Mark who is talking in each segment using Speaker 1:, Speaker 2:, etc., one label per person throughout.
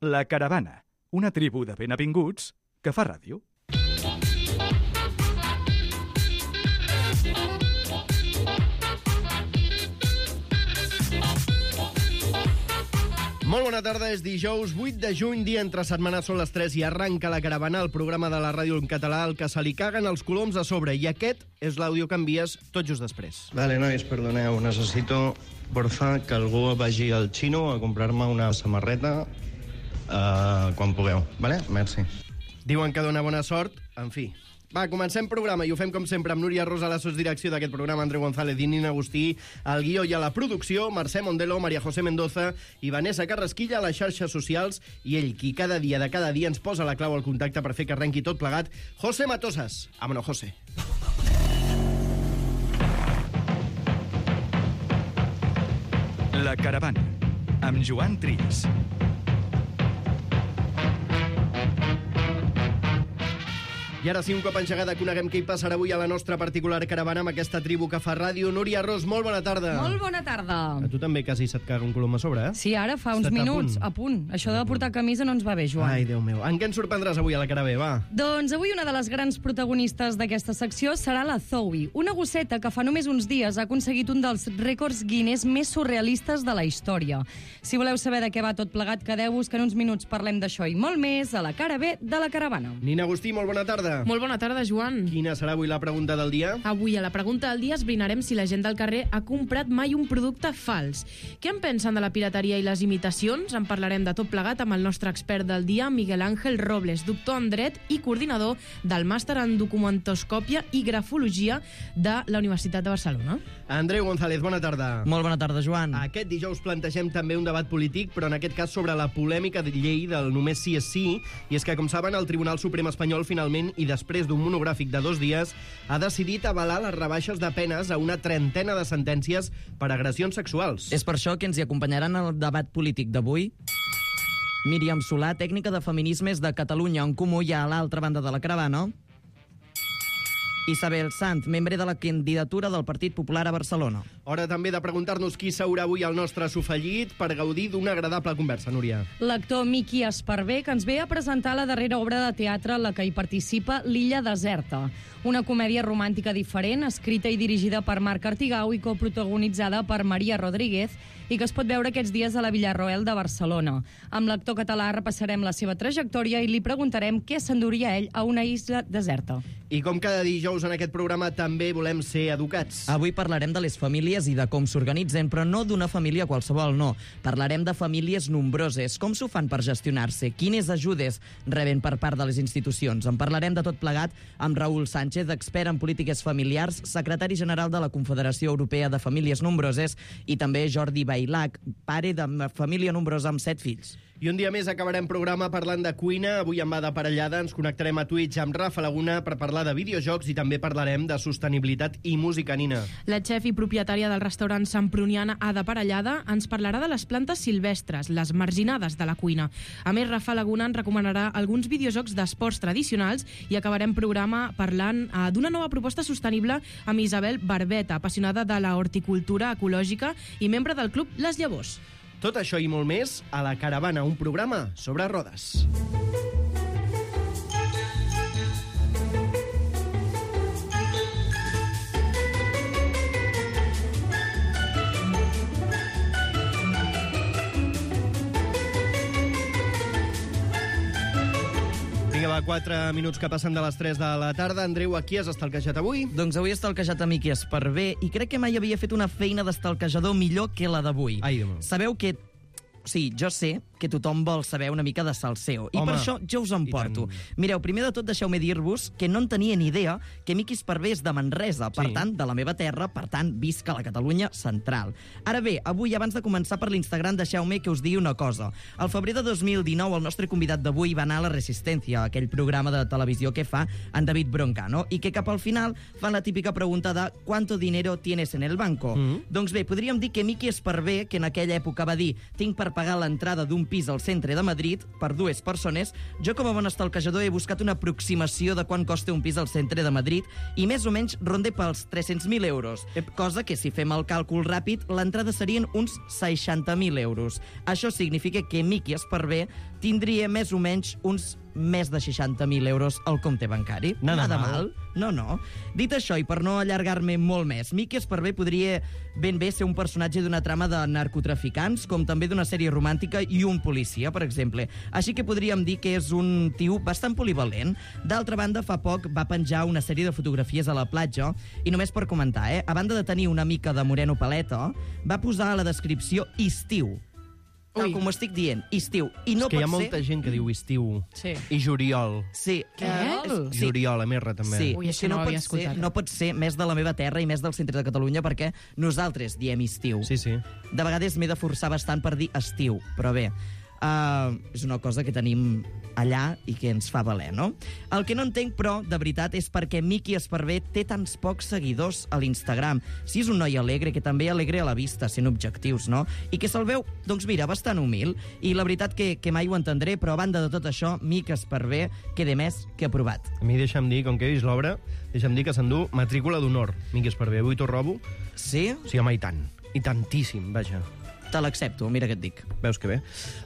Speaker 1: La Caravana, una tribu de benvinguts que fa ràdio.
Speaker 2: Molt bona tarda, és dijous 8 de juny, dia entre setmanes, són les 3 i arranca La Caravana, el programa de la ràdio en català, el que se li caguen els coloms a sobre. I aquest és l'àudio que envies tot just després.
Speaker 3: Vale, nois, perdoneu, necessito, porfa, que algú vagi al xino a comprar-me una samarreta quan pugueu, vale? Merci.
Speaker 2: Diuen que dona bona sort, en fi. Va, comencem programa i ho fem com sempre amb Núria Rosa a la sosdirecció d'aquest programa, Andreu González i Nina Agustí, al guió i a la producció, Mercè Mondelo, Maria José Mendoza i Vanessa Carrasquilla a les xarxes socials, i ell, qui cada dia ens posa la clau al contacte per fer que arrenqui tot plegat, José Matosas. Vámonos, José.
Speaker 1: La Caravana, amb Joan Trias.
Speaker 2: I ara sí, un cop engegada, coneguem què hi passarà avui a la nostra particular caravana amb aquesta tribu que fa ràdio. Núria Ros, molt bona tarda.
Speaker 4: Molt bona tarda.
Speaker 2: A tu també quasi se't caga un colom a sobre, eh?
Speaker 4: Sí, ara fa uns minuts. A punt. Això de portar camisa no ens va bé, Joan.
Speaker 2: Ai, Déu meu. En què ens sorprendràs avui a la Caravana, va?
Speaker 4: Doncs avui una de les grans protagonistes d'aquesta secció serà la Zoe, una gosseta que fa només uns dies ha aconseguit un dels rècords Guinness més surrealistes de la història. Si voleu saber de què va tot plegat, quedeu-vos que en uns minuts parlem d'això i molt més a la cara B de la Caravana.
Speaker 2: Nina Agustí, molt bona tarda.
Speaker 5: Molt bona tarda, Joan.
Speaker 2: Quina serà avui la pregunta del dia?
Speaker 5: Avui a la pregunta del dia esbrinarem si la gent del carrer ha comprat mai un producte fals. Què en pensen de la pirateria i les imitacions? En parlarem de tot plegat amb el nostre expert del dia, Miguel Ángel Robles, doctor en dret i coordinador del màster en documentoscòpia i grafologia de la Universitat de Barcelona.
Speaker 2: Andreu González, bona tarda.
Speaker 6: Molt bona tarda, Joan.
Speaker 2: Aquest dijous plantegem també un debat polític, però en aquest cas sobre la polèmica de llei del només sí és sí, i és que, com saben, el Tribunal Suprem espanyol finalment, i després d'un monogràfic de 2 dies, ha decidit avalar les rebaixes de penes a una trentena de sentències per agressions sexuals.
Speaker 6: És per això que ens hi acompanyaran al debat polític d'avui Míriam Solà, tècnica de feminismes de Catalunya en Comú, i a l'altra banda de la caravana Isabel Sant, membre de la candidatura del Partit Popular a Barcelona.
Speaker 2: Hora també de preguntar-nos qui seurà avui al nostre sofallit per gaudir d'una agradable conversa, Núria.
Speaker 4: L'actor Miqui Esparvé, que ens ve a presentar la darrera obra de teatre en la que hi participa, L'Illa Deserta, una comèdia romàntica diferent, escrita i dirigida per Marc Artigau i coprotagonitzada per Maria Rodríguez, i que es pot veure aquests dies a la Villarroel de Barcelona. Amb l'actor català repassarem la seva trajectòria i li preguntarem què s'enduria ell a una isla deserta.
Speaker 2: I com cada dijous en aquest programa també volem ser educats.
Speaker 6: Avui parlarem de les famílies i de com s'organitzen, però no d'una família qualsevol, no. Parlarem de famílies nombroses, com s'ho fan per gestionar-se, quines ajudes reben per part de les institucions. En parlarem de tot plegat amb Raül Sánchez, expert en polítiques familiars, secretari general de la Confederació Europea de Famílies Nombroses, i també Jordi Bailac, pare de família nombrosa amb 7 fills.
Speaker 2: I un dia més acabarem programa parlant de cuina. Avui en va de parellada, ens connectarem a Twitch amb Rafa Laguna per parlar de videojocs i també parlarem de sostenibilitat i música, Nina.
Speaker 5: La xef i propietària del restaurant Samproniana Ada Parellada ens parlarà de les plantes silvestres, les marginades de la cuina. A més, Rafa Laguna ens recomanarà alguns videojocs d'esports tradicionals i acabarem programa parlant d'una nova proposta sostenible amb Isabel Barbeta, apassionada de la horticultura ecològica i membre del club Les Llavors.
Speaker 2: Tot això i molt més a La Caravana, un programa sobre rodes. Vinga, va, 4 minuts que passen de les 3 de la tarda. Andreu, a qui has estalquejat avui?
Speaker 6: Doncs avui he estalquejat a Miqui Esparvé i crec que mai havia fet una feina d'estalquejador millor que la d'avui.
Speaker 2: Ai, Déu meu.
Speaker 6: Sabeu que... Sí, jo sé que tothom vol saber una mica de salseo. I per això jo us en porto. Mireu, primer de tot deixeu-me dir-vos que no en tenia ni idea que Miqui Esparvé és de Manresa, per tant, de la meva terra, per tant, visca la Catalunya central. Ara bé, avui, abans de començar per l'Instagram, deixeu-me que us digui una cosa. Al febrer de 2019, el nostre convidat d'avui va anar a La Resistencia, aquell programa de televisió que fa en David Broncano, i que cap al final fan la típica pregunta de «¿Cuánto dinero tienes en el banco?» Doncs bé, podríem dir que Miqui Esparvé, que en aquella època va dir «Tinc per per pagar l'entrada d'un pis al centre de Madrid per 2 persones, jo com a bon estalquejador he buscat una aproximació de quant costa un pis al centre de Madrid i més o menys ronde pels 300.000 euros, cosa que si fem el càlcul ràpid, l'entrada serien uns 60.000 euros. Això significa que Miqui Esparvé tindria més o menys uns més de 60.000 euros al compte bancari.
Speaker 2: Nada mal.
Speaker 6: No. Dit això, i per no allargar-me molt més, Miqui Esparvé podria ben bé ser un personatge d'una trama de narcotraficants, com també d'una sèrie romàntica i un policia, per exemple. Així que podríem dir que és un tio bastant polivalent. D'altra banda, fa poc va penjar una sèrie de fotografies a la platja, i només per comentar, a banda de tenir una mica de moreno paleta, va posar a la descripció estiu. Tal com ho estic dient, estiu. I no
Speaker 2: És que hi ha
Speaker 6: pot
Speaker 2: molta gent que diu estiu
Speaker 4: Sí.
Speaker 2: i juliol.
Speaker 6: Sí.
Speaker 5: Què?
Speaker 6: Sí.
Speaker 2: Juliol, a Merra, també.
Speaker 6: Sí,
Speaker 5: Ui,
Speaker 6: és
Speaker 5: això
Speaker 6: que
Speaker 5: no ho
Speaker 6: pot
Speaker 5: havia
Speaker 6: ser,
Speaker 5: escoltat.
Speaker 6: no pot ser més de la meva terra i més del centre de Catalunya, perquè nosaltres diem estiu.
Speaker 2: Sí.
Speaker 6: De vegades m'he de forçar bastant per dir estiu, però bé, és una cosa que tenim allà i que ens fa valer, no? El que no entenc, però, de veritat, és perquè Miqui Esparvé té tants pocs seguidors a l'Instagram. Si és un noi alegre, que també alegre a la vista, sent objectius, no? I que se'l veu, doncs mira, bastant humil. I la veritat que mai ho entendré, però a banda de tot això, Miqui Esparvé queda més que aprovat.
Speaker 2: A mi deixa'm dir, com que he vist l'obra, deixa'm dir que s'endú matrícula d'honor, Miqui Esparvé. Avui t'ho robo.
Speaker 6: Sí?
Speaker 2: Sí, home, i tant. I tantíssim, vaja.
Speaker 6: Te l'accepto, mira què et dic.
Speaker 2: Veus que bé.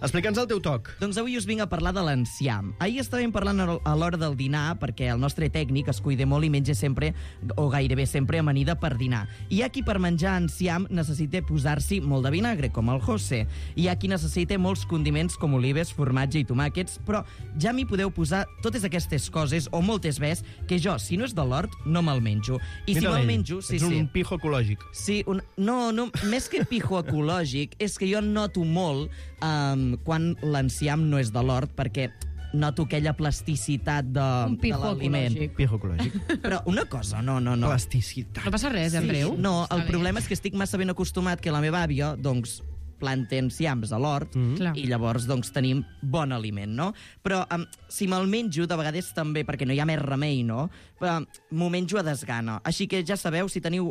Speaker 2: Explica'ns el teu toc.
Speaker 6: Doncs avui us vinc a parlar de l'enciam. Ahir estàvem parlant a l'hora del dinar, perquè el nostre tècnic es cuida molt i menja sempre, o gairebé sempre, amanida per dinar. Hi ha qui per menjar enciam necessita posar-s'hi molt de vinagre, com el José. Hi ha qui necessita molts condiments com olives, formatge i tomàquets, però ja m'hi podeu posar totes aquestes coses, o moltes més, que jo, si no és de l'hort, no me'l menjo. I si me'l menjo... Sí,
Speaker 2: ets un pijo ecològic.
Speaker 6: Sí, no, més que pijo ecològic, és que jo noto molt quan l'enciam no és de l'hort, perquè noto aquella plasticitat
Speaker 4: Un
Speaker 6: de
Speaker 4: pijo
Speaker 6: l'aliment.
Speaker 4: ecològic.
Speaker 2: Pijo ecològic.
Speaker 6: Però una cosa, no.
Speaker 2: Plasticitat.
Speaker 5: No passa res, Andreu?
Speaker 6: No,
Speaker 5: Està
Speaker 6: el
Speaker 5: bé.
Speaker 6: problema és que estic massa ben acostumat que la meva àvia, doncs, planta enciams a l'hort,
Speaker 5: Clar.
Speaker 6: i llavors doncs, tenim bon aliment, no? Però si me'l menjo, de vegades també, perquè no hi ha més remei, no? Però m'ho menjo a desgana. Així que ja sabeu, si teniu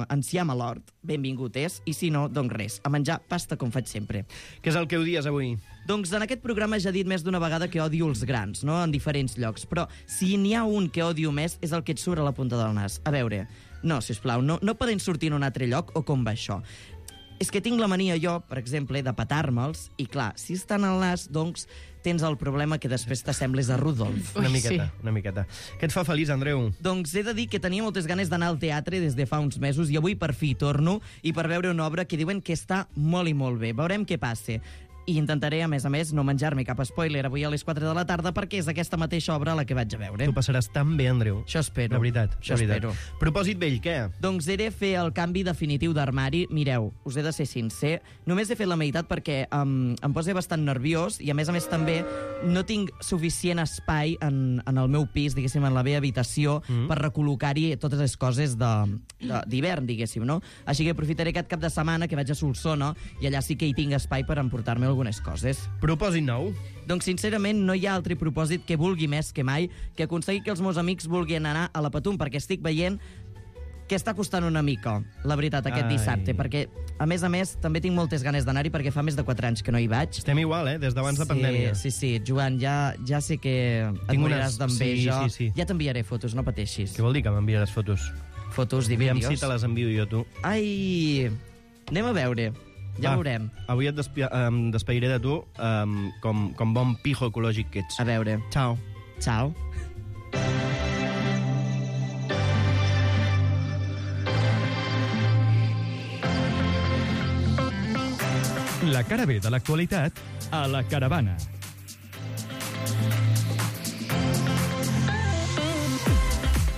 Speaker 6: enciam a l'hort, benvingut és, i si no, doncs res, a menjar pasta com faig sempre.
Speaker 2: Què és el que odies avui?
Speaker 6: Doncs en aquest programa ja he dit més d'una vegada que odio els grans, no?, en diferents llocs, però si n'hi ha un que odio més és el que et surt a la punta del nas. A veure, no, sisplau, no poden sortir en un altre lloc, o com va això? És que tinc la mania jo, per exemple, de petar-me'ls, i clar, si estan al nas, doncs tens el problema que després t'assembles a Rudolf.
Speaker 2: Una
Speaker 5: Ui,
Speaker 2: miqueta,
Speaker 5: sí.
Speaker 2: una miqueta. Què et fa feliç, Andreu?
Speaker 6: Doncs he de dir que tenia moltes ganes d'anar al teatre des de fa uns mesos i avui per fi hi torno i per veure una obra que diuen que està molt i molt bé. Veurem què passa. I intentaré, a més, no menjar-me cap spoiler avui a les 4 de la tarda perquè és aquesta mateixa obra la que vaig a veure.
Speaker 2: Tu passaràs tan bé, Andreu.
Speaker 6: Això espero.
Speaker 2: De veritat,
Speaker 6: Això
Speaker 2: de veritat.
Speaker 6: espero.
Speaker 2: Propòsit vell, què?
Speaker 6: Doncs he de fer el canvi definitiu d'armari. Mireu, us he de ser sincer, només he fet la meitat perquè em posa bastant nerviós i, a més també, no tinc suficient espai en el meu pis, diguéssim, en la meva habitació, per recol·locar-hi totes les coses d'hivern, diguéssim, no? Així que aprofitaré aquest cap de setmana que vaig a Solsona i allà sí que hi tinc espai per emportar-me algunes coses.
Speaker 2: Propòsit nou?
Speaker 6: Doncs, sincerament, no hi ha altre propòsit que vulgui més que mai que aconseguir que els meus amics vulguin anar a la Patum, perquè estic veient que està costant una mica, la veritat, aquest dissabte, perquè, a més, també tinc moltes ganes d'anar-hi perquè fa més de 4 anys que no hi vaig.
Speaker 2: Estem igual, des d'abans de pandèmia.
Speaker 6: Sí, Joan, ja sé que et moriràs d'enveja.
Speaker 2: Sí.
Speaker 6: Ja t'enviaré fotos, no pateixis.
Speaker 2: Què vol dir que m'enviaràs fotos?
Speaker 6: Fotos i
Speaker 2: Aviam
Speaker 6: vídeos.
Speaker 2: si te les envio jo, tu.
Speaker 6: Ai, anem a veure. Ja veurem.
Speaker 2: Avui et despediré de tu com bon pijo ecològic que ets.
Speaker 6: A veure.
Speaker 2: Ciao.
Speaker 6: Ciao.
Speaker 1: La cara B de l'actualitat a la Caravana.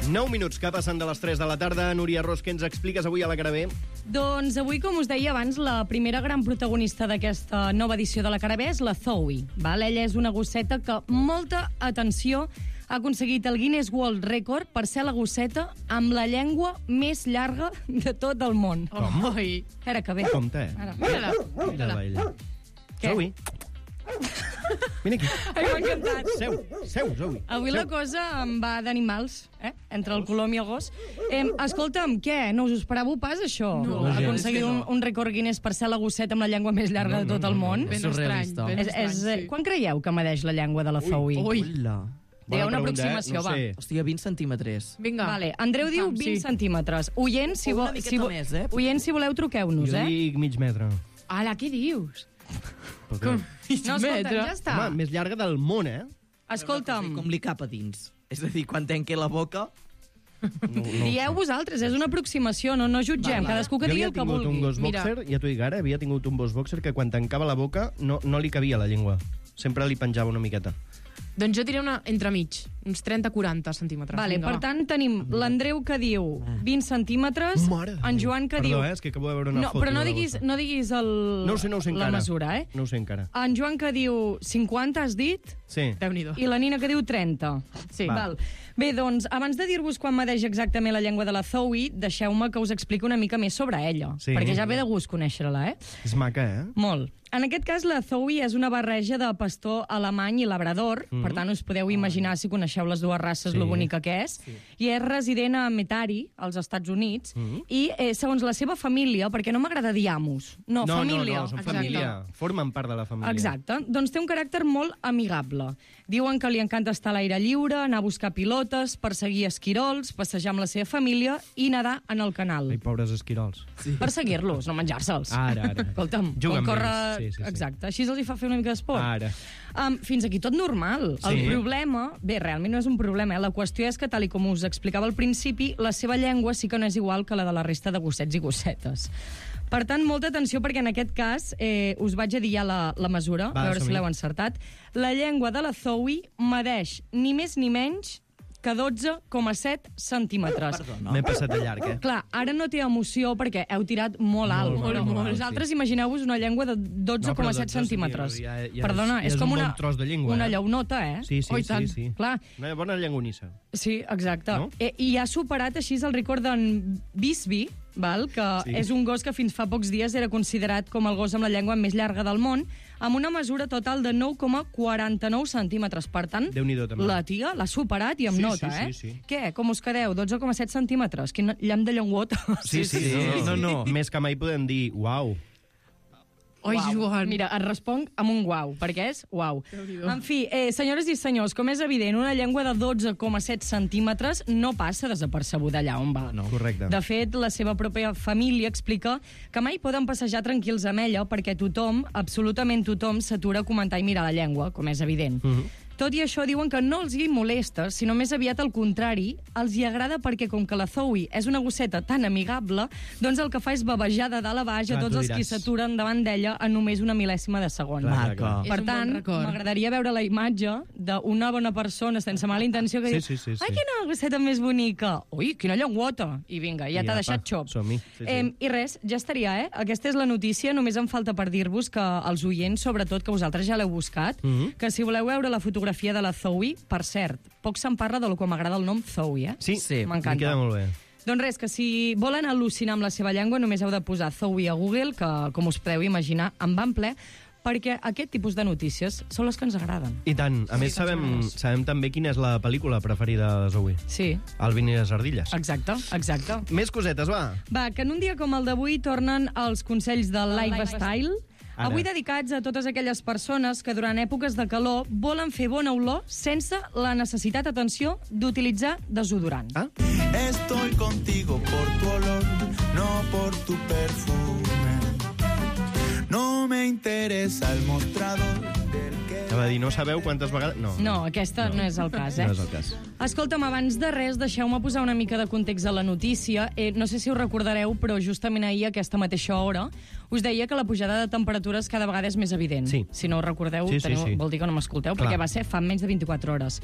Speaker 2: Nou minuts que passen de les 3 de la tarda. Núria Ros, què ens expliques avui a la cara B?
Speaker 4: Doncs avui, com us deia abans, la primera gran protagonista d'aquesta nova edició de la Cara B és la Zoe. Val? Ella és una gosseta que, molta atenció, ha aconseguit el Guinness World Record per ser la gosseta amb la llengua més llarga de tot el món.
Speaker 5: Oi.
Speaker 4: Era que bé.
Speaker 2: Compte,
Speaker 4: Ara.
Speaker 5: Mira-la.
Speaker 2: Mira-la, ella.
Speaker 4: Què?
Speaker 2: Zoe. Vine aquí.
Speaker 4: Ai, m'ha encantat.
Speaker 2: Seu, Zoe.
Speaker 4: Avui la cosa em va d'animals, entre el colom i el gos. Escolta'm, què? No us ho esperàveu pas, això?
Speaker 5: No,
Speaker 4: Aconseguir un rècord Guinness per ser la gosseta amb la llengua més llarga de tot el món?
Speaker 5: Ben
Speaker 6: Surrealista.
Speaker 5: estrany, ben estrany, sí.
Speaker 4: Quan creieu que medeix la llengua de la Zoe?
Speaker 5: Ui.
Speaker 6: Hola.
Speaker 4: Digueu una
Speaker 2: Bona pregunta,
Speaker 4: aproximació,
Speaker 2: no sé.
Speaker 6: Hòstia, 20 centímetres.
Speaker 5: Vinga.
Speaker 4: Vale, Andreu diu
Speaker 5: Fam,
Speaker 4: 20 centímetres. Oients, si,
Speaker 6: Una miqueta més,
Speaker 4: oients, si voleu, truqueu-nos,
Speaker 2: Jo dic mig metre.
Speaker 5: Ala, què dius?
Speaker 2: Per què?
Speaker 5: Com?
Speaker 4: No, escolta, ja està.
Speaker 2: Home, més llarga del món,
Speaker 4: Escolta'm,
Speaker 6: Com li cap a dins. És a dir, quan tanqui la boca...
Speaker 4: dieu vosaltres, és una aproximació, no jutgem, cadascú que
Speaker 2: Jo
Speaker 4: digui
Speaker 2: havia
Speaker 4: el que
Speaker 2: tingut un
Speaker 4: vulgui.
Speaker 2: gos
Speaker 5: Mira.
Speaker 2: boxer, ja t'ho dic ara, havia tingut un gos boxer que quan tancava la boca no li cabia la llengua. Sempre li penjava una miqueta.
Speaker 5: Doncs jo diré una entremig, uns 30-40 centímetres.
Speaker 4: Vale,
Speaker 5: Vinga,
Speaker 4: per
Speaker 5: va.
Speaker 4: tant, tenim l'Andreu que diu 20 centímetres,
Speaker 2: Mare de
Speaker 4: en
Speaker 2: Déu.
Speaker 4: Joan que
Speaker 2: Perdó,
Speaker 4: diu...
Speaker 2: és que acabo de veure una
Speaker 4: No,
Speaker 2: foto.
Speaker 4: però no
Speaker 2: de la
Speaker 4: diguis,
Speaker 2: bossa.
Speaker 4: no diguis
Speaker 2: No ho sé
Speaker 4: la
Speaker 2: encara.
Speaker 4: mesura,
Speaker 2: No ho sé encara.
Speaker 4: En Joan que diu 50, has dit?
Speaker 2: Sí.
Speaker 5: Déu-n'hi-do.
Speaker 4: I la Nina que diu 30.
Speaker 5: Sí.
Speaker 4: Val. Bé, doncs, abans de dir-vos quan medeix exactament la llengua de la Zoe, deixeu-me que us expliqui una mica més sobre ella.
Speaker 2: Sí.
Speaker 4: Perquè ja ve de gust conèixer-la,
Speaker 2: És maca,
Speaker 4: Molt. En aquest cas, la Zoe és una barreja de pastor alemany i labrador, per tant, us podeu imaginar, si coneixeu les dues races,
Speaker 2: Sí.
Speaker 4: lo bonica que és. I és resident a Metairie, als Estats Units, i segons la seva família, perquè no m'agrada dir amos, no, família.
Speaker 2: No, són
Speaker 5: Exacte.
Speaker 2: família. Formen part de la família.
Speaker 4: Exacte. Doncs té un caràcter molt amigable. Diuen que li encanta estar a l'aire lliure, anar a buscar pilotes, perseguir esquirols, passejar amb la seva família i nedar en el canal.
Speaker 2: Ai, pobres esquirols.
Speaker 4: Perseguir-los, no menjar-se'ls.
Speaker 2: Ara.
Speaker 4: Escolta'm,
Speaker 2: Juga amb
Speaker 4: córrer...
Speaker 2: ells. Sí.
Speaker 4: Exacte, així els hi fa fer una mica d'esport.
Speaker 2: Ara.
Speaker 4: Fins aquí tot normal. El
Speaker 2: Sí.
Speaker 4: problema... Bé, realment no és un problema, La qüestió és que, tal i com us explicava al principi, la seva llengua sí que no és igual que la de la resta de gossets i gossetes. Per tant, molta atenció, perquè en aquest cas us vaig a dir ja la mesura,
Speaker 2: Va,
Speaker 4: a veure si
Speaker 2: som-hi.
Speaker 4: l'heu encertat. La llengua de la Zoe medeix ni més ni menys que 12,7 centímetres.
Speaker 2: M'he passat de llarg,
Speaker 4: Clar, ara no té emoció perquè heu tirat molt alt.
Speaker 2: Molt,
Speaker 4: però
Speaker 2: molt alt,
Speaker 4: vosaltres
Speaker 2: sí.
Speaker 4: imagineu-vos una llengua de 12,7 centímetres. Perdona, és com
Speaker 2: un
Speaker 4: una,
Speaker 2: bon tros de llengua,
Speaker 4: una llaunota,
Speaker 2: Sí,
Speaker 4: Oh, i tant.
Speaker 2: sí.
Speaker 4: Clar,
Speaker 2: Una bona llengonissa.
Speaker 4: sí, exacte.
Speaker 2: No?
Speaker 4: I ha superat així el rècord d'en Bisbee, val? Que
Speaker 2: Sí.
Speaker 4: és un gos que fins fa pocs dies era considerat com el gos amb la llengua més llarga del món, amb una mesura total de 9,49 centímetres. Per tant,
Speaker 2: Déu-n'hi-do, també.
Speaker 4: la tia l'ha superat i amb
Speaker 2: Sí,
Speaker 4: nota,
Speaker 2: sí, sí.
Speaker 4: Què? Com us quedeu? 12,7 centímetres? Quin llamp de llengüota.
Speaker 2: Sí. No. Més que mai podem dir, uau.
Speaker 5: Oi, Joan.
Speaker 4: Mira, et responc amb un guau, perquè és uau. En fi, senyores i senyors, com és evident, una llengua de 12,7 centímetres no passa desapercebuda allà on va.
Speaker 2: No. Correcte.
Speaker 4: De fet, la seva pròpia família explica que mai poden passejar tranquils amb ella perquè tothom, absolutament tothom, s'atura a comentar i mirar la llengua, com és evident. Tot i això, diuen que no els hi molesta, sinó més aviat al contrari, els hi agrada perquè, com que la Zoe és una gosseta tan amigable, doncs el que fa és bavejar de dalt a baix a
Speaker 2: Clar,
Speaker 4: tots
Speaker 2: tu
Speaker 4: els qui
Speaker 2: diràs.
Speaker 4: s'aturen davant d'ella en només una mil·lèsima de segon.
Speaker 2: Clar,
Speaker 6: Maca.
Speaker 5: És
Speaker 4: Per
Speaker 5: un bon
Speaker 4: tant,
Speaker 5: record.
Speaker 4: m'agradaria veure la imatge d'una bona persona sense mala intenció que
Speaker 2: Sí,
Speaker 4: diu
Speaker 2: sí.
Speaker 4: ai, quina gosseta més bonica! Ui, quina llengüota! I vinga, ja
Speaker 2: I
Speaker 4: t'ha
Speaker 2: apa,
Speaker 4: deixat xop.
Speaker 2: som-hi. Sí.
Speaker 4: I res, ja estaria, Aquesta és la notícia. Només em falta per dir-vos que els oients, sobretot, que vosaltres ja l'heu buscat, que si voleu veure la fotografia de la Zoe, per cert, poc se'n parla de lo que m'agrada el nom Zoe,
Speaker 2: Sí,
Speaker 6: Sí,
Speaker 4: m'encanta.
Speaker 2: em queda molt bé.
Speaker 4: Doncs res, que si volen al·lucinar amb la seva llengua, només heu de posar Zoe a Google, que, com us podeu imaginar, em van ple, perquè aquest tipus de notícies són les que ens agraden.
Speaker 2: I tant. A més, sabem també quina és la pel·lícula preferida de Zoe.
Speaker 4: Sí,
Speaker 2: Alvin i les ardilles.
Speaker 4: exacte.
Speaker 2: Més cosetes, va.
Speaker 4: Va, que en un dia com el d'avui tornen els consells del Lifestyle.
Speaker 2: Ara.
Speaker 4: Avui dedicats a totes aquelles persones que durant èpoques de calor volen fer bona olor sense la necessitat, atenció, d'utilitzar desodorant.
Speaker 2: Ah?
Speaker 7: Estoy contigo por tu olor, no por tu perfume. No me interesa el mostrador del que...
Speaker 2: Va dir, no sabeu quantes vegades...
Speaker 4: No, aquesta no és el cas,
Speaker 2: No és el cas.
Speaker 4: Escolta'm, abans de res, deixeu-me posar una mica de context a la notícia. No sé si us recordareu, però justament ahir, a aquesta mateixa hora, us deia que la pujada de temperatures cada vegada és més evident.
Speaker 2: Sí.
Speaker 4: Si no ho recordeu,
Speaker 2: Sí.
Speaker 4: vol dir que no m'escolteu,
Speaker 2: Clar.
Speaker 4: perquè va ser fa menys de 24 hores.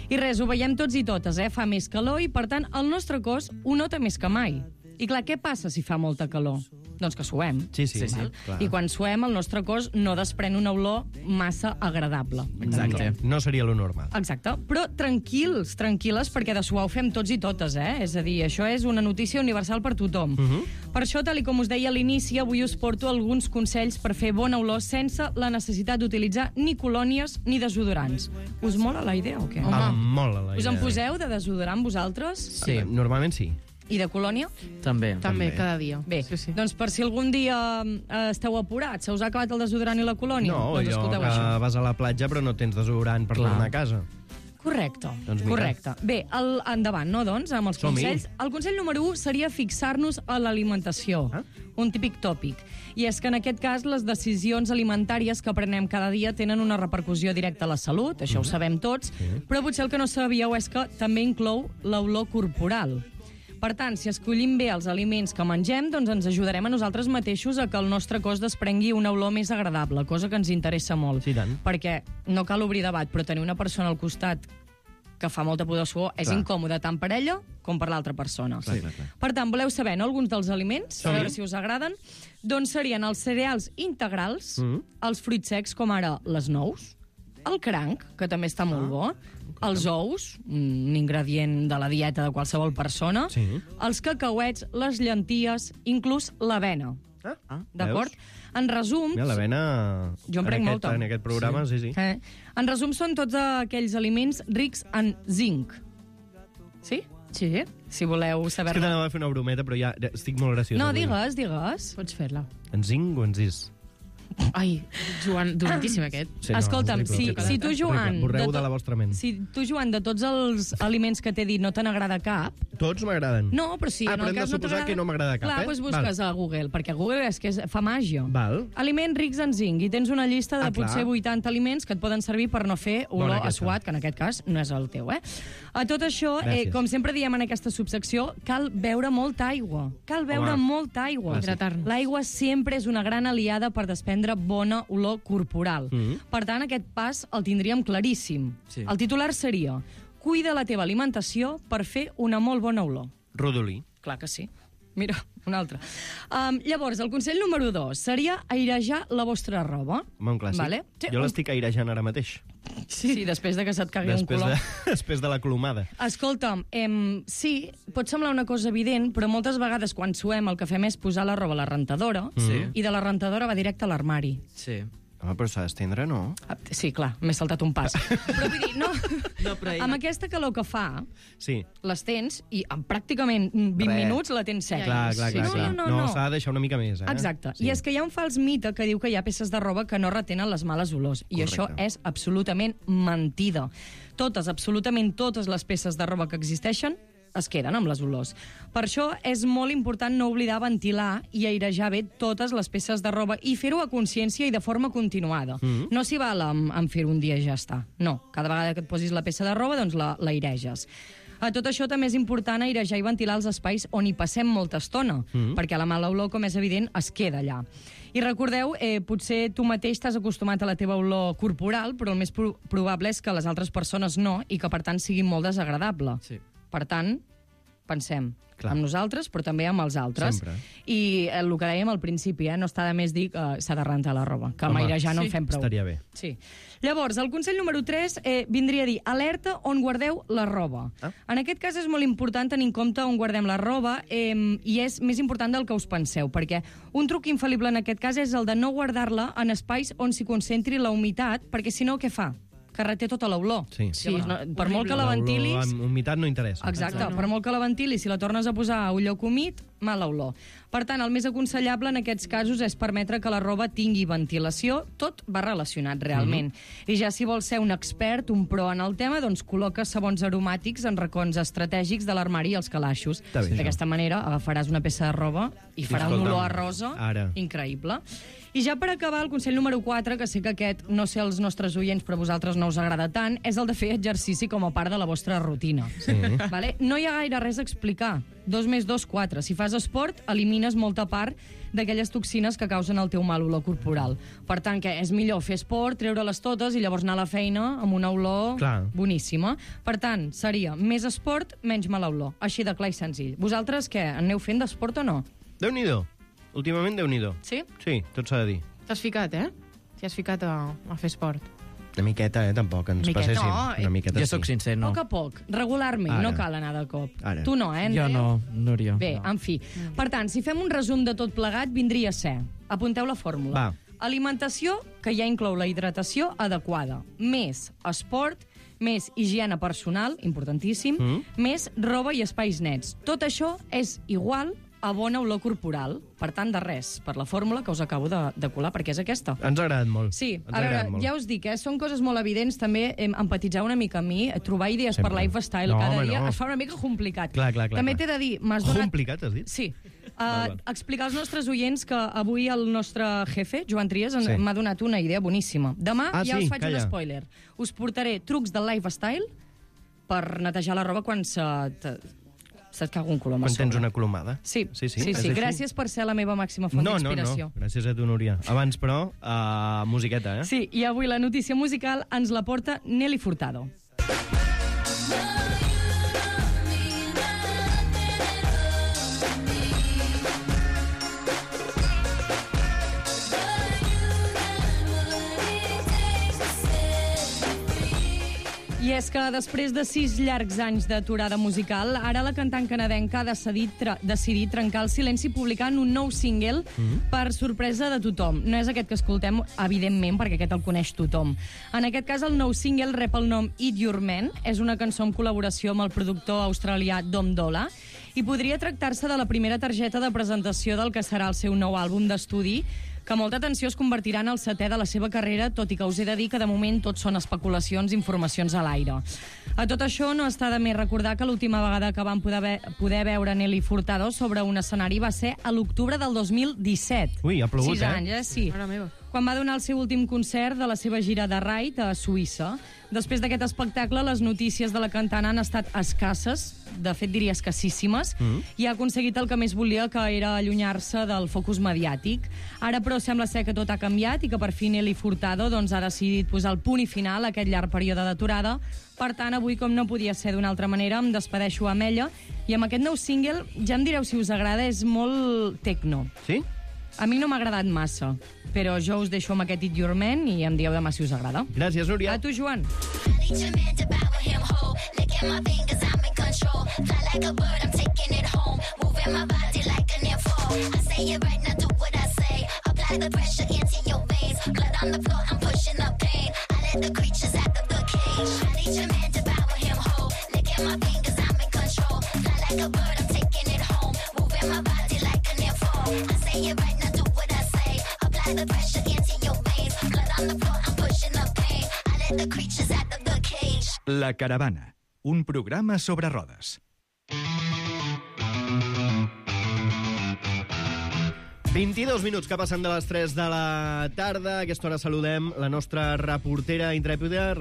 Speaker 4: I res, ho veiem tots i totes, Fa més calor i, per tant, el nostre cos ho nota més que mai. I clar, què passa si fa molta calor? Doncs que suem.
Speaker 2: Sí,
Speaker 4: val?
Speaker 2: clar.
Speaker 4: I quan suem, el nostre cos no desprèn una olor massa agradable.
Speaker 6: Exacte.
Speaker 2: No seria lo normal.
Speaker 4: Exacte. Però tranquils, tranquil·les, perquè de suar ho fem tots i totes, És a dir, això és una notícia universal per tothom. Per això, tal com us deia a l'inici, avui us porto alguns consells per fer bona olor sense la necessitat d'utilitzar ni colònies ni desodorants. Us mola la idea o què?
Speaker 2: Em mola la idea.
Speaker 4: Us en poseu de desodorant vosaltres?
Speaker 6: Sí,
Speaker 2: Normalment sí.
Speaker 4: I de colònia?
Speaker 6: també.
Speaker 5: També, cada dia.
Speaker 4: Bé, doncs per si algun dia esteu apurats, se us ha acabat el desodorant i la colònia,
Speaker 2: No,
Speaker 4: doncs
Speaker 2: allò
Speaker 4: escolteu
Speaker 2: que
Speaker 4: això.
Speaker 2: vas a la platja però no tens desodorant per tornar a casa.
Speaker 4: Correcte,
Speaker 2: Doncs mira.
Speaker 4: correcte. Bé, endavant, no, doncs, amb els
Speaker 2: Som-hi.
Speaker 4: consells. El consell número 1 seria fixar-nos a l'alimentació. Un típic tòpic. I és que en aquest cas les decisions alimentàries que prenem cada dia tenen una repercussió directa a la salut, això ho sabem tots, però potser el que no sabíeu és que també inclou l'olor corporal. Per tant, si escollim bé els aliments que mengem, doncs ens ajudarem a nosaltres mateixos a que el nostre cos desprengui una olor més agradable, cosa que ens interessa molt.
Speaker 2: Sí, tant.
Speaker 4: Perquè no cal obrir debat, però tenir una persona al costat que fa molta pudor suor és
Speaker 2: Clar.
Speaker 4: incòmode tant per ella com per l'altra persona.
Speaker 2: Clar.
Speaker 4: Per tant, voleu saber, no, alguns dels aliments? A veure si us agraden. Doncs serien els cereals integrals, els fruits secs, com ara les nous, el cranc, que també està molt bo, els ous, un ingredient de la dieta de qualsevol persona,
Speaker 2: Sí.
Speaker 4: els cacauets, les llenties, inclús l'avena. D'acord? En resum...
Speaker 2: Mira, l'avena...
Speaker 4: Jo en prenc molta.
Speaker 2: En aquest programa, sí.
Speaker 4: En resum, són tots aquells aliments rics en zinc. Sí? Sí. Si voleu
Speaker 2: És que
Speaker 4: saber-ne.
Speaker 2: t'anava a fer una brometa, però ja estic molt graciós.
Speaker 4: No,
Speaker 2: avui.
Speaker 4: digues.
Speaker 5: Pots fer-la.
Speaker 2: En zinc o en zis?
Speaker 5: Ai, Joan, dolentíssim aquest.
Speaker 2: Sí,
Speaker 4: Escolta'm,
Speaker 2: horrible,
Speaker 4: si tu, Joan...
Speaker 2: Borreu de
Speaker 4: tot-
Speaker 2: la vostra ment.
Speaker 4: Si tu, Joan, de tots els aliments que t'he dit no te n'agrada cap...
Speaker 2: Tots m'agraden.
Speaker 4: No, però si
Speaker 2: Ah,
Speaker 4: en
Speaker 2: però
Speaker 4: el
Speaker 2: hem de
Speaker 4: cas no
Speaker 2: suposar
Speaker 4: t'agrada...
Speaker 2: que no m'agrada cap,
Speaker 4: Clar,
Speaker 2: eh?
Speaker 4: doncs busques a Google, perquè Google és que fa màgia.
Speaker 2: Val.
Speaker 4: Aliments rics en zinc, i tens una llista de
Speaker 2: Ah, clar.
Speaker 4: potser 80 aliments que et poden servir per no fer olor
Speaker 2: Bona
Speaker 4: a
Speaker 2: aquesta.
Speaker 4: suat, que en aquest cas no és el teu, A tot això,
Speaker 2: Gràcies.
Speaker 4: com sempre diem en aquesta subsecció, cal beure molta aigua. Cal beure
Speaker 2: Home.
Speaker 4: molta aigua.
Speaker 5: Hidratar-nos.
Speaker 4: L'aigua sempre és una gran aliada per desprendre bona olor corporal. Per tant, aquest pas el tindríem claríssim.
Speaker 6: Sí.
Speaker 4: El titular seria: cuida la teva alimentació per fer una molt bona olor.
Speaker 2: Rodolí.
Speaker 4: Clar que sí. Mira, un altre. Llavors, el consell número 2 seria airejar la vostra roba.
Speaker 2: Home, un clàssic.
Speaker 4: Vale? Sí,
Speaker 2: Jo l'estic airejant ara mateix.
Speaker 4: Sí, després de que se't cagui un
Speaker 2: Després
Speaker 4: color.
Speaker 2: després de la clomada.
Speaker 4: Escolta'm, sí, pot semblar una cosa evident, però moltes vegades quan suem el que fem és posar la roba a la rentadora
Speaker 6: Sí.
Speaker 4: i de la rentadora va directe a l'armari.
Speaker 6: Sí.
Speaker 2: Home, però s'ha d'estendre, no?
Speaker 4: Sí, clar, m'he saltat un pas. Però vull dir, no,
Speaker 6: No, però ella-
Speaker 4: amb aquesta calor que fa,
Speaker 2: Sí.
Speaker 4: les tens i en pràcticament 20
Speaker 2: Res.
Speaker 4: minuts la tens seca.
Speaker 2: Clar, clar,
Speaker 4: Sí.
Speaker 2: clar. clar.
Speaker 4: No.
Speaker 2: s'ha de deixar una mica més, eh?
Speaker 4: Exacte.
Speaker 2: Sí.
Speaker 4: I és que hi ha un fals mite que diu que hi ha peces de roba que no retenen les males olors. I
Speaker 2: Correcte.
Speaker 4: això és absolutament mentida. Absolutament totes les peces de roba que existeixen es queden amb les olors. Per això és molt important no oblidar ventilar i airejar bé totes les peces de roba i fer-ho a consciència i de forma continuada. No s'hi val amb fer un dia i ja està. No, cada vegada que et posis la peça de roba, doncs l'aireges. A tot això també és important airejar i ventilar els espais on hi passem molta estona, perquè la mala olor, com és evident, es queda allà. I recordeu, potser tu mateix t'has acostumat a la teva olor corporal, però el més probable és que les altres persones no, i que per tant sigui molt desagradable.
Speaker 6: Sí.
Speaker 4: Per tant, pensem
Speaker 2: Clar.
Speaker 4: amb nosaltres, però també amb els altres.
Speaker 2: Sempre.
Speaker 4: I el que dèiem al principi, no està de més dir que s'ha de rentar la roba, que amb
Speaker 2: Home,
Speaker 4: airejar no
Speaker 5: sí,
Speaker 4: en fem prou.
Speaker 2: estaria bé.
Speaker 4: Sí. Llavors, el consell número 3 vindria a dir alerta on guardeu la roba. En aquest cas és molt important tenir en compte on guardem la roba i és més important del que us penseu, perquè un truc infal·lible en aquest cas és el de no guardar-la en espais on s'hi concentri la humitat, perquè si no, què fa? Que reté tota l'olor.
Speaker 2: Sí.
Speaker 4: Llavors, per molt que la ventilis...
Speaker 2: Amb humitat no interessa.
Speaker 4: Exacte, per molt que la ventilis, si la tornes a posar a un lloc humit, mala olor. Per tant, el més aconsellable en aquests casos és permetre que la roba tingui ventilació, tot va relacionat realment. I ja si vols ser un expert, un pro en el tema, doncs col·loca sabons aromàtics en racons estratègics de l'armari i els calaixos.
Speaker 2: Està bé, això.
Speaker 4: D'aquesta manera agafaràs una peça de roba i farà un
Speaker 2: escolta'm,
Speaker 4: olor a rosa
Speaker 2: ara.
Speaker 4: increïble. I ja per acabar, el consell número 4, que sé que aquest, no sé els nostres oients, però a vosaltres no us agrada tant, és el de fer exercici com a part de la vostra rutina.
Speaker 2: Sí.
Speaker 4: Vale? No hi ha gaire res a explicar. 2 més 2, 4. Si fas esport, elimines molta part d'aquelles toxines que causen el teu mal olor corporal. Per tant, que és millor fer esport, treure-les totes i llavors anar a la feina amb una olor boníssima. Per tant, seria més esport, menys mala olor. Així de clar i senzill. Vosaltres, què? Aneu fent d'esport o no?
Speaker 2: Déu-n'hi-do. Últimament, Déu-n'hi-do.
Speaker 5: Sí?
Speaker 2: Sí, tot s'ha de dir.
Speaker 5: T'has ficat, eh? T'hi has ficat a fer esport.
Speaker 2: Una miqueta, tampoc, ens passéssim.
Speaker 5: No,
Speaker 2: Una miqueta,
Speaker 6: Jo sóc sincer, no.
Speaker 4: Poc a poc, regularment,
Speaker 2: Ara.
Speaker 4: no cal anar de cop.
Speaker 2: Ara.
Speaker 4: Tu no,
Speaker 6: Jo no, Núria.
Speaker 4: Bé, en fi. Per tant, si fem un resum de tot plegat, vindria a ser... Apunteu la fórmula.
Speaker 2: Va.
Speaker 4: Alimentació, que ja inclou la hidratació adequada. Més esport, més higiene personal, importantíssim, més roba i espais nets. Tot això és igual a bona olor corporal. Per tant, de res, per la fórmula que us acabo de colar, perquè és aquesta.
Speaker 2: Ens ha agradat molt.
Speaker 4: Sí,
Speaker 2: Ens ha
Speaker 4: a veure,
Speaker 2: agradat molt.
Speaker 4: ja us dic, són coses molt evidents, també empatitzar una mica amb mi, trobar idees
Speaker 2: Sempre.
Speaker 4: per lifestyle
Speaker 2: No,
Speaker 4: cada
Speaker 2: home,
Speaker 4: dia
Speaker 2: no.
Speaker 4: es fa una mica complicat.
Speaker 2: Clar.
Speaker 4: També t'he de dir, m'has donat...
Speaker 2: Complicat, has dit?
Speaker 4: Sí.
Speaker 2: Val.
Speaker 4: Explicar als nostres oients que avui el nostre jefe, Joan Trias,
Speaker 2: Sí.
Speaker 4: m'ha donat una idea boníssima. Demà ja
Speaker 2: sí?
Speaker 4: us faig
Speaker 2: Calla.
Speaker 4: un spoiler. Us portaré trucs del lifestyle per netejar la roba quan se't caga un colom a
Speaker 2: Quan tens
Speaker 4: sobre.
Speaker 2: una colomada.
Speaker 4: Sí.
Speaker 2: És així?
Speaker 4: Gràcies per ser la meva màxima font d'inspiració.
Speaker 2: No. Gràcies a tu, Núria. Abans, però, musiqueta, eh?
Speaker 4: Sí, i avui la notícia musical ens la porta Nelly Furtado. I és que després de 6 llargs anys d'aturada musical, ara la cantant canadenca ha decidit trencar el silenci publicant un nou single per sorpresa de tothom. No és aquest que escoltem, evidentment, perquè aquest el coneix tothom. En aquest cas, el nou single rep el nom Eat Your Man. És una cançó en col·laboració amb el productor australià Dom Dolla i podria tractar-se de la primera targeta de presentació del que serà el seu nou àlbum d'estudi, que molta atenció es convertirà en el 7è de la seva carrera, tot i que us he de dir que de moment tot són especulacions i informacions a l'aire. A tot això no està de més recordar que l'última vegada que vam poder veure Nelly Furtado sobre un escenari va ser a l'octubre del 2017.
Speaker 2: Ui, ha plogut,
Speaker 4: 6 anys, sí.
Speaker 5: Mare meva.
Speaker 4: Quan va donar el seu últim concert de la seva gira de Ride a Suïssa. Després d'aquest espectacle, les notícies de la cantant han estat escasses, de fet diria escassíssimes, i ha aconseguit el que més volia, que era allunyar-se del focus mediàtic. Ara, però, sembla ser que tot ha canviat i que per fi Nelly Furtado ha decidit posar el punt i final a aquest llarg període d'aturada. Per tant, avui, com no podia ser d'una altra manera, em despedeixo amb ella, i amb aquest nou single, ja em direu si us agrada, és molt techno.
Speaker 2: Sí?
Speaker 4: A mi no m'ha agradat massa, però jo us deixo amb aquest Eat Your Man i em dieu demà si us agrada.
Speaker 2: Gràcies, Núria.
Speaker 4: A tu, Joan.
Speaker 1: La Caravana, un programa sobre rodes.
Speaker 2: ...22 minuts que passen de les 3 de la tarda. A aquesta hora saludem la nostra reportera intrèpida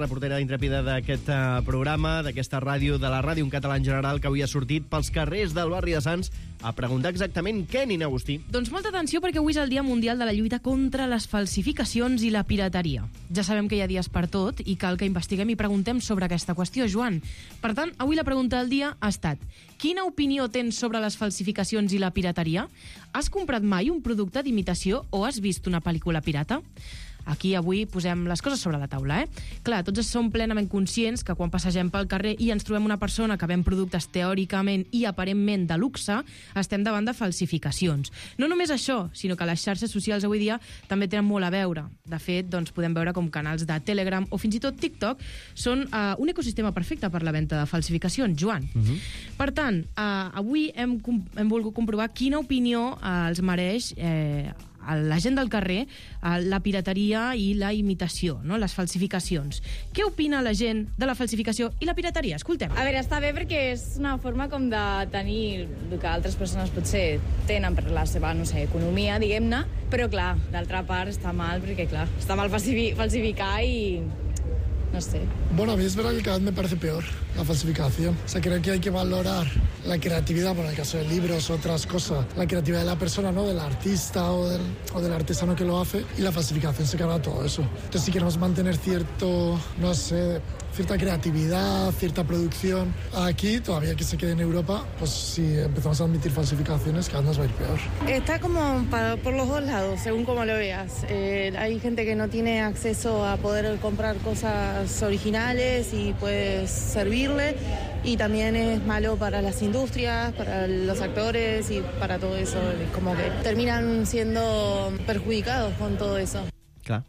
Speaker 2: d'aquest programa, d'aquesta ràdio, de la ràdio en català en general, que avui ha sortit pels carrers del barri de Sants a preguntar exactament què, Nina Agustí.
Speaker 5: Doncs molta atenció, perquè avui és el Dia Mundial de la lluita contra les falsificacions i la pirateria. Ja sabem que hi ha dies per tot i cal que investiguem i preguntem sobre aquesta qüestió, Joan. Per tant, avui la pregunta del dia ha estat: quina opinió tens sobre les falsificacions i la pirateria? Has comprat mai un producte d'imitació o has vist una pel·lícula pirata? Aquí avui posem les coses sobre la taula, Clar, tots som plenament conscients que quan passegem pel carrer i ens trobem una persona que ven productes teòricament i aparentment de luxe, estem davant de falsificacions. No només això, sinó que les xarxes socials avui dia també tenen molt a veure. De fet, doncs, podem veure com canals de Telegram o fins i tot TikTok són un ecosistema perfecte per la venda de falsificacions, Joan. Per tant, avui hem volgut comprovar quina opinió els mereix a la gent del carrer la pirateria i la imitació, no? Les falsificacions. Què opina la gent de la falsificació i la pirateria? Escoltem.
Speaker 8: A veure, està bé perquè és una forma com de tenir el que altres persones potser tenen per la seva, no sé, economia, diguem-ne, però clar, d'altra part està mal perquè, clar, està mal falsificar i no sé.
Speaker 9: Bueno, a mí es verdad que cada vez me parece peor la falsificación. O sea, creo que hay que valorar la creatividad, bueno, en el caso de libros, otras cosas, la creatividad de la persona, ¿no? Del artista o del artesano que lo hace, y la falsificación se carga todo eso. Entonces, si queremos mantener cierto, no sé, cierta creatividad, cierta producción aquí, todavía que se quede en Europa, pues si empezamos a admitir falsificaciones, cada vez nos va a ir peor.
Speaker 10: Está como por los dos lados, según como lo veas. Hay gente que no tiene acceso a poder comprar cosas originales y puedes servirle, y también es malo para las industrias, para los actores y para todo eso. Como que terminan siendo perjudicados con todo eso.
Speaker 5: Clar.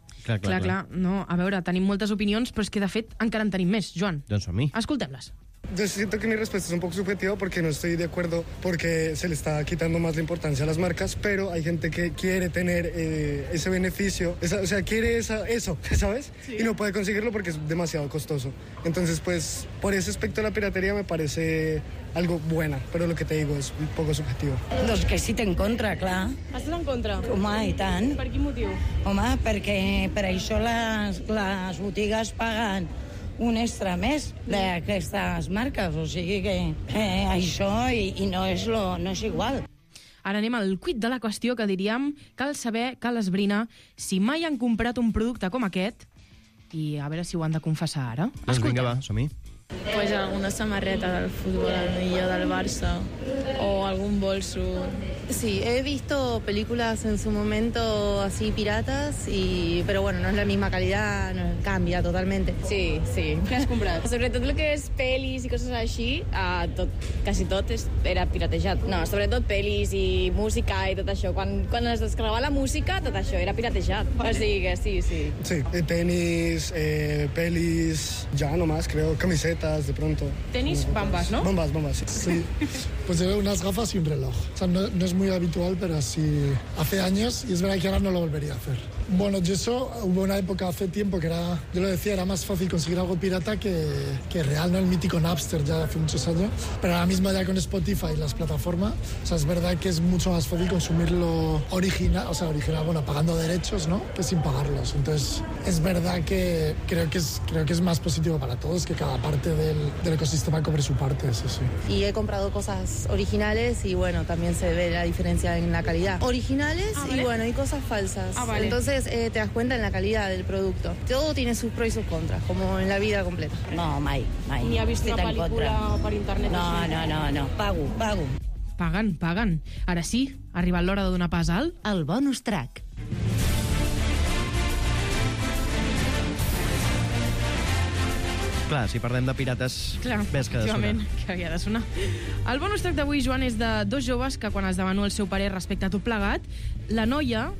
Speaker 5: No, a veure, tenim moltes opinions, però és que, de fet, encara en tenim més. Joan,
Speaker 2: Doncs som-hi.
Speaker 5: escoltem-les.
Speaker 11: Yo siento que mi respuesta es un poco subjetiva porque no estoy de acuerdo, porque se le está quitando más la importancia a las marcas, pero hay gente que quiere tener ese beneficio, o sea, quiere eso, ¿sabes? Sí. Y no puede conseguirlo porque es demasiado costoso. Entonces, pues, por ese aspecto la piratería me parece algo buena, però el que te digo és un poc subjectiu.
Speaker 12: Doncs que sí, en contra, clar.
Speaker 10: Estàs en contra?
Speaker 12: Home, i tant.
Speaker 10: Per quin motiu?
Speaker 12: Home, perquè per això les botigues paguen un extra més d'aquestes marques, o sigui que això i no és igual.
Speaker 5: Ara anem al quid de la qüestió, que diríem cal saber, cal esbrinar si mai han comprat un producte com aquest, i a veure si ho han de confessar ara.
Speaker 2: Doncs vinga, va, som-hi.
Speaker 8: Pues alguna samarreta del fútbol, anillo del Barça o algún bolso.
Speaker 10: Sí, he visto películas en su momento así piratas, pero bueno, no es la misma calidad, cambia totalmente.
Speaker 8: Sí.
Speaker 10: Què has comprat?
Speaker 8: Sobretot el que és pel·lis i coses així, quasi tot era piratejat. No, sobretot pel·lis i música i tot això. Quan es descarregava la música, tot això era piratejat. Vale. O sigui que sí.
Speaker 11: Sí, tenis, pelis, ya nomás, creo, camisetas, de pronto.
Speaker 10: Tenis, bambas, ¿no?
Speaker 11: Bambas, sí.
Speaker 9: Pues llevé unas gafas y un reloj. O sea, no es muy habitual, pero sí hace años, y es verdad que ahora no lo volvería a hacer. Bueno, hubo una época hace tiempo que yo lo decía, era más fácil conseguir algo pirata que real, ¿no? El mítico Napster ya hace muchos años, pero ahora mismo ya con Spotify y las plataformas, o sea, es verdad que es mucho más fácil consumirlo original, bueno, pagando derechos, ¿no? Que sin pagarlos. Entonces, es verdad que creo que es más positivo para todos que cada parte del ecosistema cobre su parte, eso sí.
Speaker 10: Y he comprado cosas originales y bueno, también se ve la diferencia en la calidad. Originales
Speaker 5: ¿vale?
Speaker 10: Y bueno, y cosas falsas.
Speaker 5: Vale.
Speaker 10: Entonces te das cuenta en la calidad del producto. Todo tiene sus pros y sus contras, como en la vida completa.
Speaker 12: No, mai.
Speaker 10: Ni ha vist una pel·lícula per internet?
Speaker 12: No. Pago.
Speaker 5: Paguen. Ara sí, ha arribat l'hora de donar pas al...
Speaker 4: El bonus track.
Speaker 2: Clar, si parlem de pirates, ves que ha de sonar.
Speaker 5: Que havia de sonar. El bonus track d'avui, Joan, és de dos joves que, quan es demanó el seu parer respecte a tot plegat, la noia,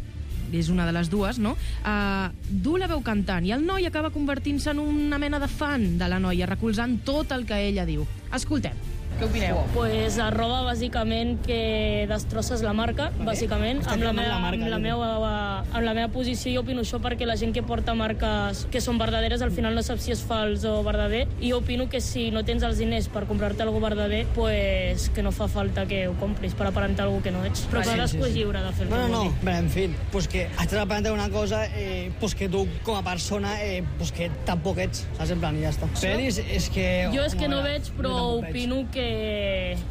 Speaker 5: és una de les dues, no? Du la veu cantant, i el noi acaba convertint-se en una mena de fan de la noia, recolzant tot el que ella diu. Escoltem. Què opineu?
Speaker 13: Pues arroba bàsicament que destrosses la marca, bàsicament. Amb la meva posició jo opino això, perquè la gent que porta marques que són verdaderes al final no sap si és fals o verdader, i jo opino que si no tens els diners per comprar-te algo verdader, pues que no fa falta que ho compris per aparentar algo que no ets. Però cadascú és lliure de fer el que vulgui.
Speaker 14: Bueno, en fin, pues que estàs aparentant una cosa pues que tu com a persona pues que tampoc ets, saps? En plan, i ja està. Peris és que...
Speaker 13: Jo és que no veig, però opino que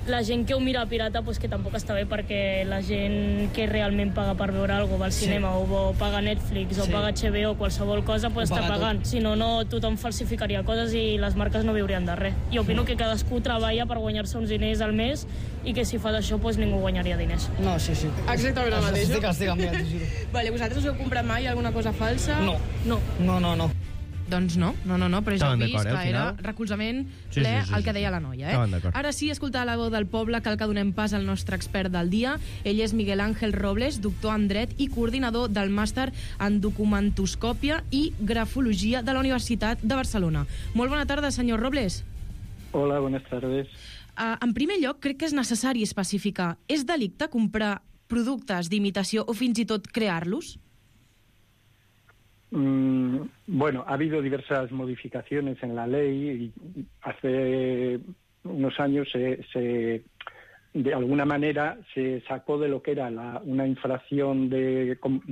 Speaker 13: la gent que ho mira pirata pues que tampoc està bé, perquè la gent que realment paga per veure alguna cosa, va al cinema o paga Netflix o paga HBO o qualsevol cosa, pues està pagant. Si no, tothom falsificaria coses i les marques no viurien de res. I opino que cadascú treballa per guanyar-se uns diners al mes i que si fas això pues ningú guanyaria diners.
Speaker 14: No, sí.
Speaker 10: Exactament el mateix.
Speaker 14: Estic amb mi, t'ho juro.
Speaker 10: Vale, vosaltres heu comprat mai alguna cosa falsa?
Speaker 14: No.
Speaker 5: Doncs no, però ja heu vist que era recolzament ple el que deia la noia. Ara sí, escoltar la veu del poble, cal que donem pas al nostre expert del dia. Ell és Miguel Ángel Robles, doctor en Dret i coordinador del màster en documentoscòpia i grafologia de la Universitat de Barcelona. Molt bona tarda, senyor Robles.
Speaker 15: Hola, buenas tardes.
Speaker 5: En primer lloc, crec que és necessari especificar. És delicte comprar productes d'imitació o fins i tot crear-los?
Speaker 15: Bueno, ha habido diversas modificaciones en la ley y hace unos años de alguna manera se sacó de lo que era una infracción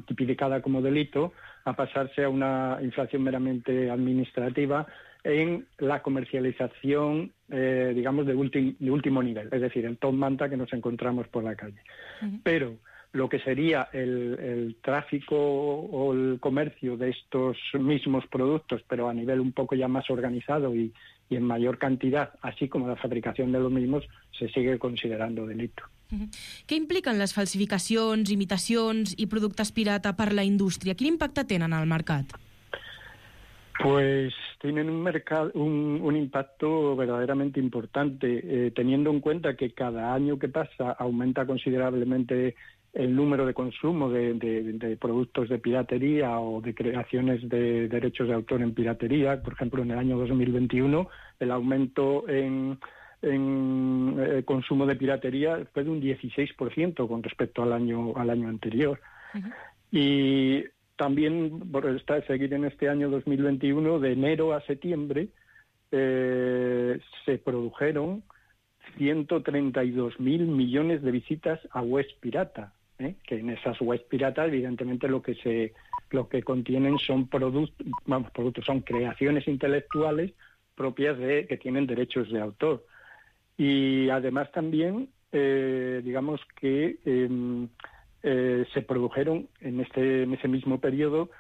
Speaker 15: tipificada como delito a pasarse a una infracción meramente administrativa en la comercialización, digamos, de último nivel, es decir, el top manta que nos encontramos por la calle. Pero lo que sería el tráfico o el comercio de estos mismos productos, pero a nivel un poco ya más organizado y en mayor cantidad, así como la fabricación de los mismos, se sigue considerando delito.
Speaker 5: Què impliquen les falsificacions, imitacions i productes pirata per la indústria? Quin impacte tenen al mercat?
Speaker 15: Pues tienen un impacto verdaderamente importante, teniendo en cuenta que cada año que pasa aumenta considerablemente el número de consumo de productos de piratería o de creaciones de derechos de autor en piratería. Por ejemplo, en el año 2021 el aumento en consumo de piratería fue de un 16% con respecto al año anterior. Y también, por seguir en este año 2021, de enero a septiembre, se produjeron 132.000 millones de visitas a webs pirata, que en esas webs piratas, evidentemente, lo que contienen son productos, son creaciones intelectuales propias que tienen derechos de autor. Y además también, digamos que se produjeron en ese mismo periodo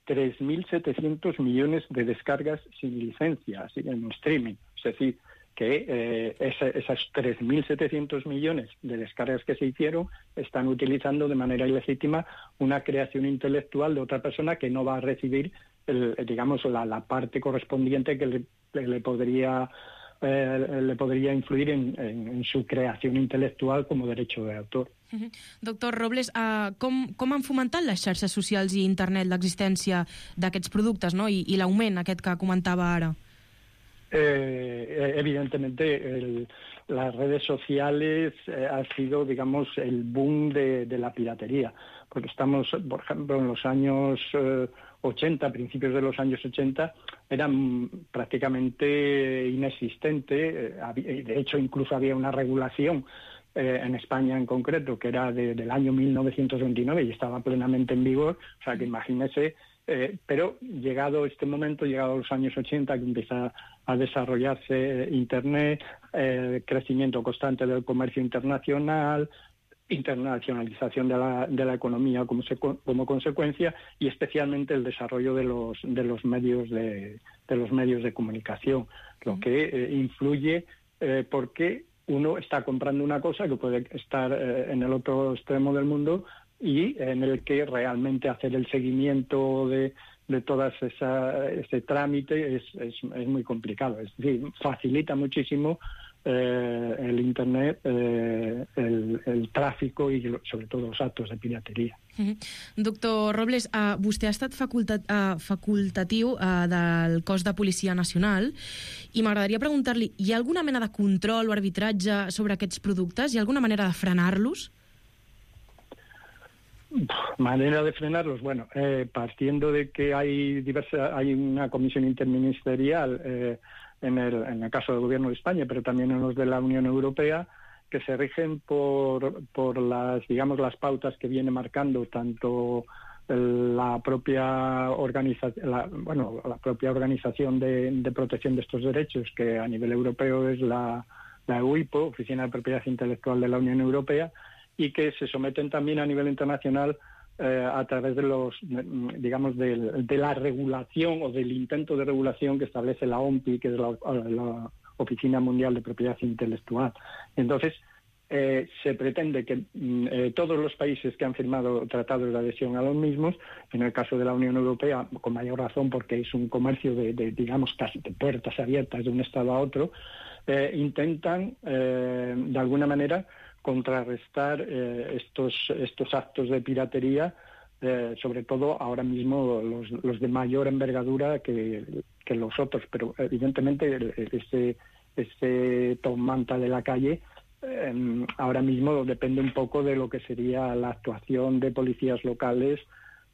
Speaker 15: 3.700 millones de descargas sin licencia, así en streaming. Es decir, que esas 3.700 millones de descargas que se hicieron están utilizando de manera ilegítima una creación intelectual de otra persona que no va a recibir, digamos, la parte correspondiente que le podría influir en su creación intelectual como derecho de autor.
Speaker 5: Doctor Robles, com han fomentat les xarxes socials i internet l'existència d'aquests productes, no? I l'augment aquest que comentava ara?
Speaker 15: Evidentemente, las redes sociales ha sido, digamos, el boom de la piratería, porque estamos, por ejemplo, en los años 80, principios de los años 80, eran prácticamente inexistente. De hecho, incluso había una regulación en España en concreto, que era del año 1929 y estaba plenamente en vigor. O sea, que imagínese, pero llegado este momento, llegado a los años 80, que empieza a desarrollarse Internet, crecimiento constante del comercio internacional, internacionalización de la economía como consecuencia, y especialmente el desarrollo de los medios de comunicación, lo que influye porque uno está comprando una cosa que puede estar en el otro extremo del mundo y en el que realmente hacer el seguimiento de todo ese trámite es muy complicado. Es decir, facilita muchísimo el Internet, el tráfico i sobre todo els actos de pirateria.
Speaker 5: Doctor Robles, vostè ha estat facultatiu del cos de Policia Nacional i m'agradaria preguntar-li, hi ha alguna mena de control o arbitratge sobre aquests productes? Hi ha alguna manera de frenar-los?
Speaker 15: Manera de frenarlos, bueno, partiendo de que hay una comisión interministerial en el caso del Gobierno de España, pero también en los de la Unión Europea, que se rigen por las pautas que viene marcando tanto la propia organización de protección de estos derechos, que a nivel europeo es la UIPO, Oficina de Propiedad Intelectual de la Unión Europea, y que se someten también a nivel internacional a través de la regulación o del intento de regulación que establece la OMPI, que es la Oficina Mundial de Propiedad Intelectual. Entonces, se pretende que todos los países que han firmado tratados de adhesión a los mismos, en el caso de la Unión Europea, con mayor razón porque es un comercio digamos, casi de puertas abiertas de un Estado a otro, intentan, de alguna manera, contrarrestar estos actos de piratería, sobre todo ahora mismo los de mayor envergadura que los otros, pero evidentemente este top manta de la calle ahora mismo depende un poco de lo que sería la actuación de policías locales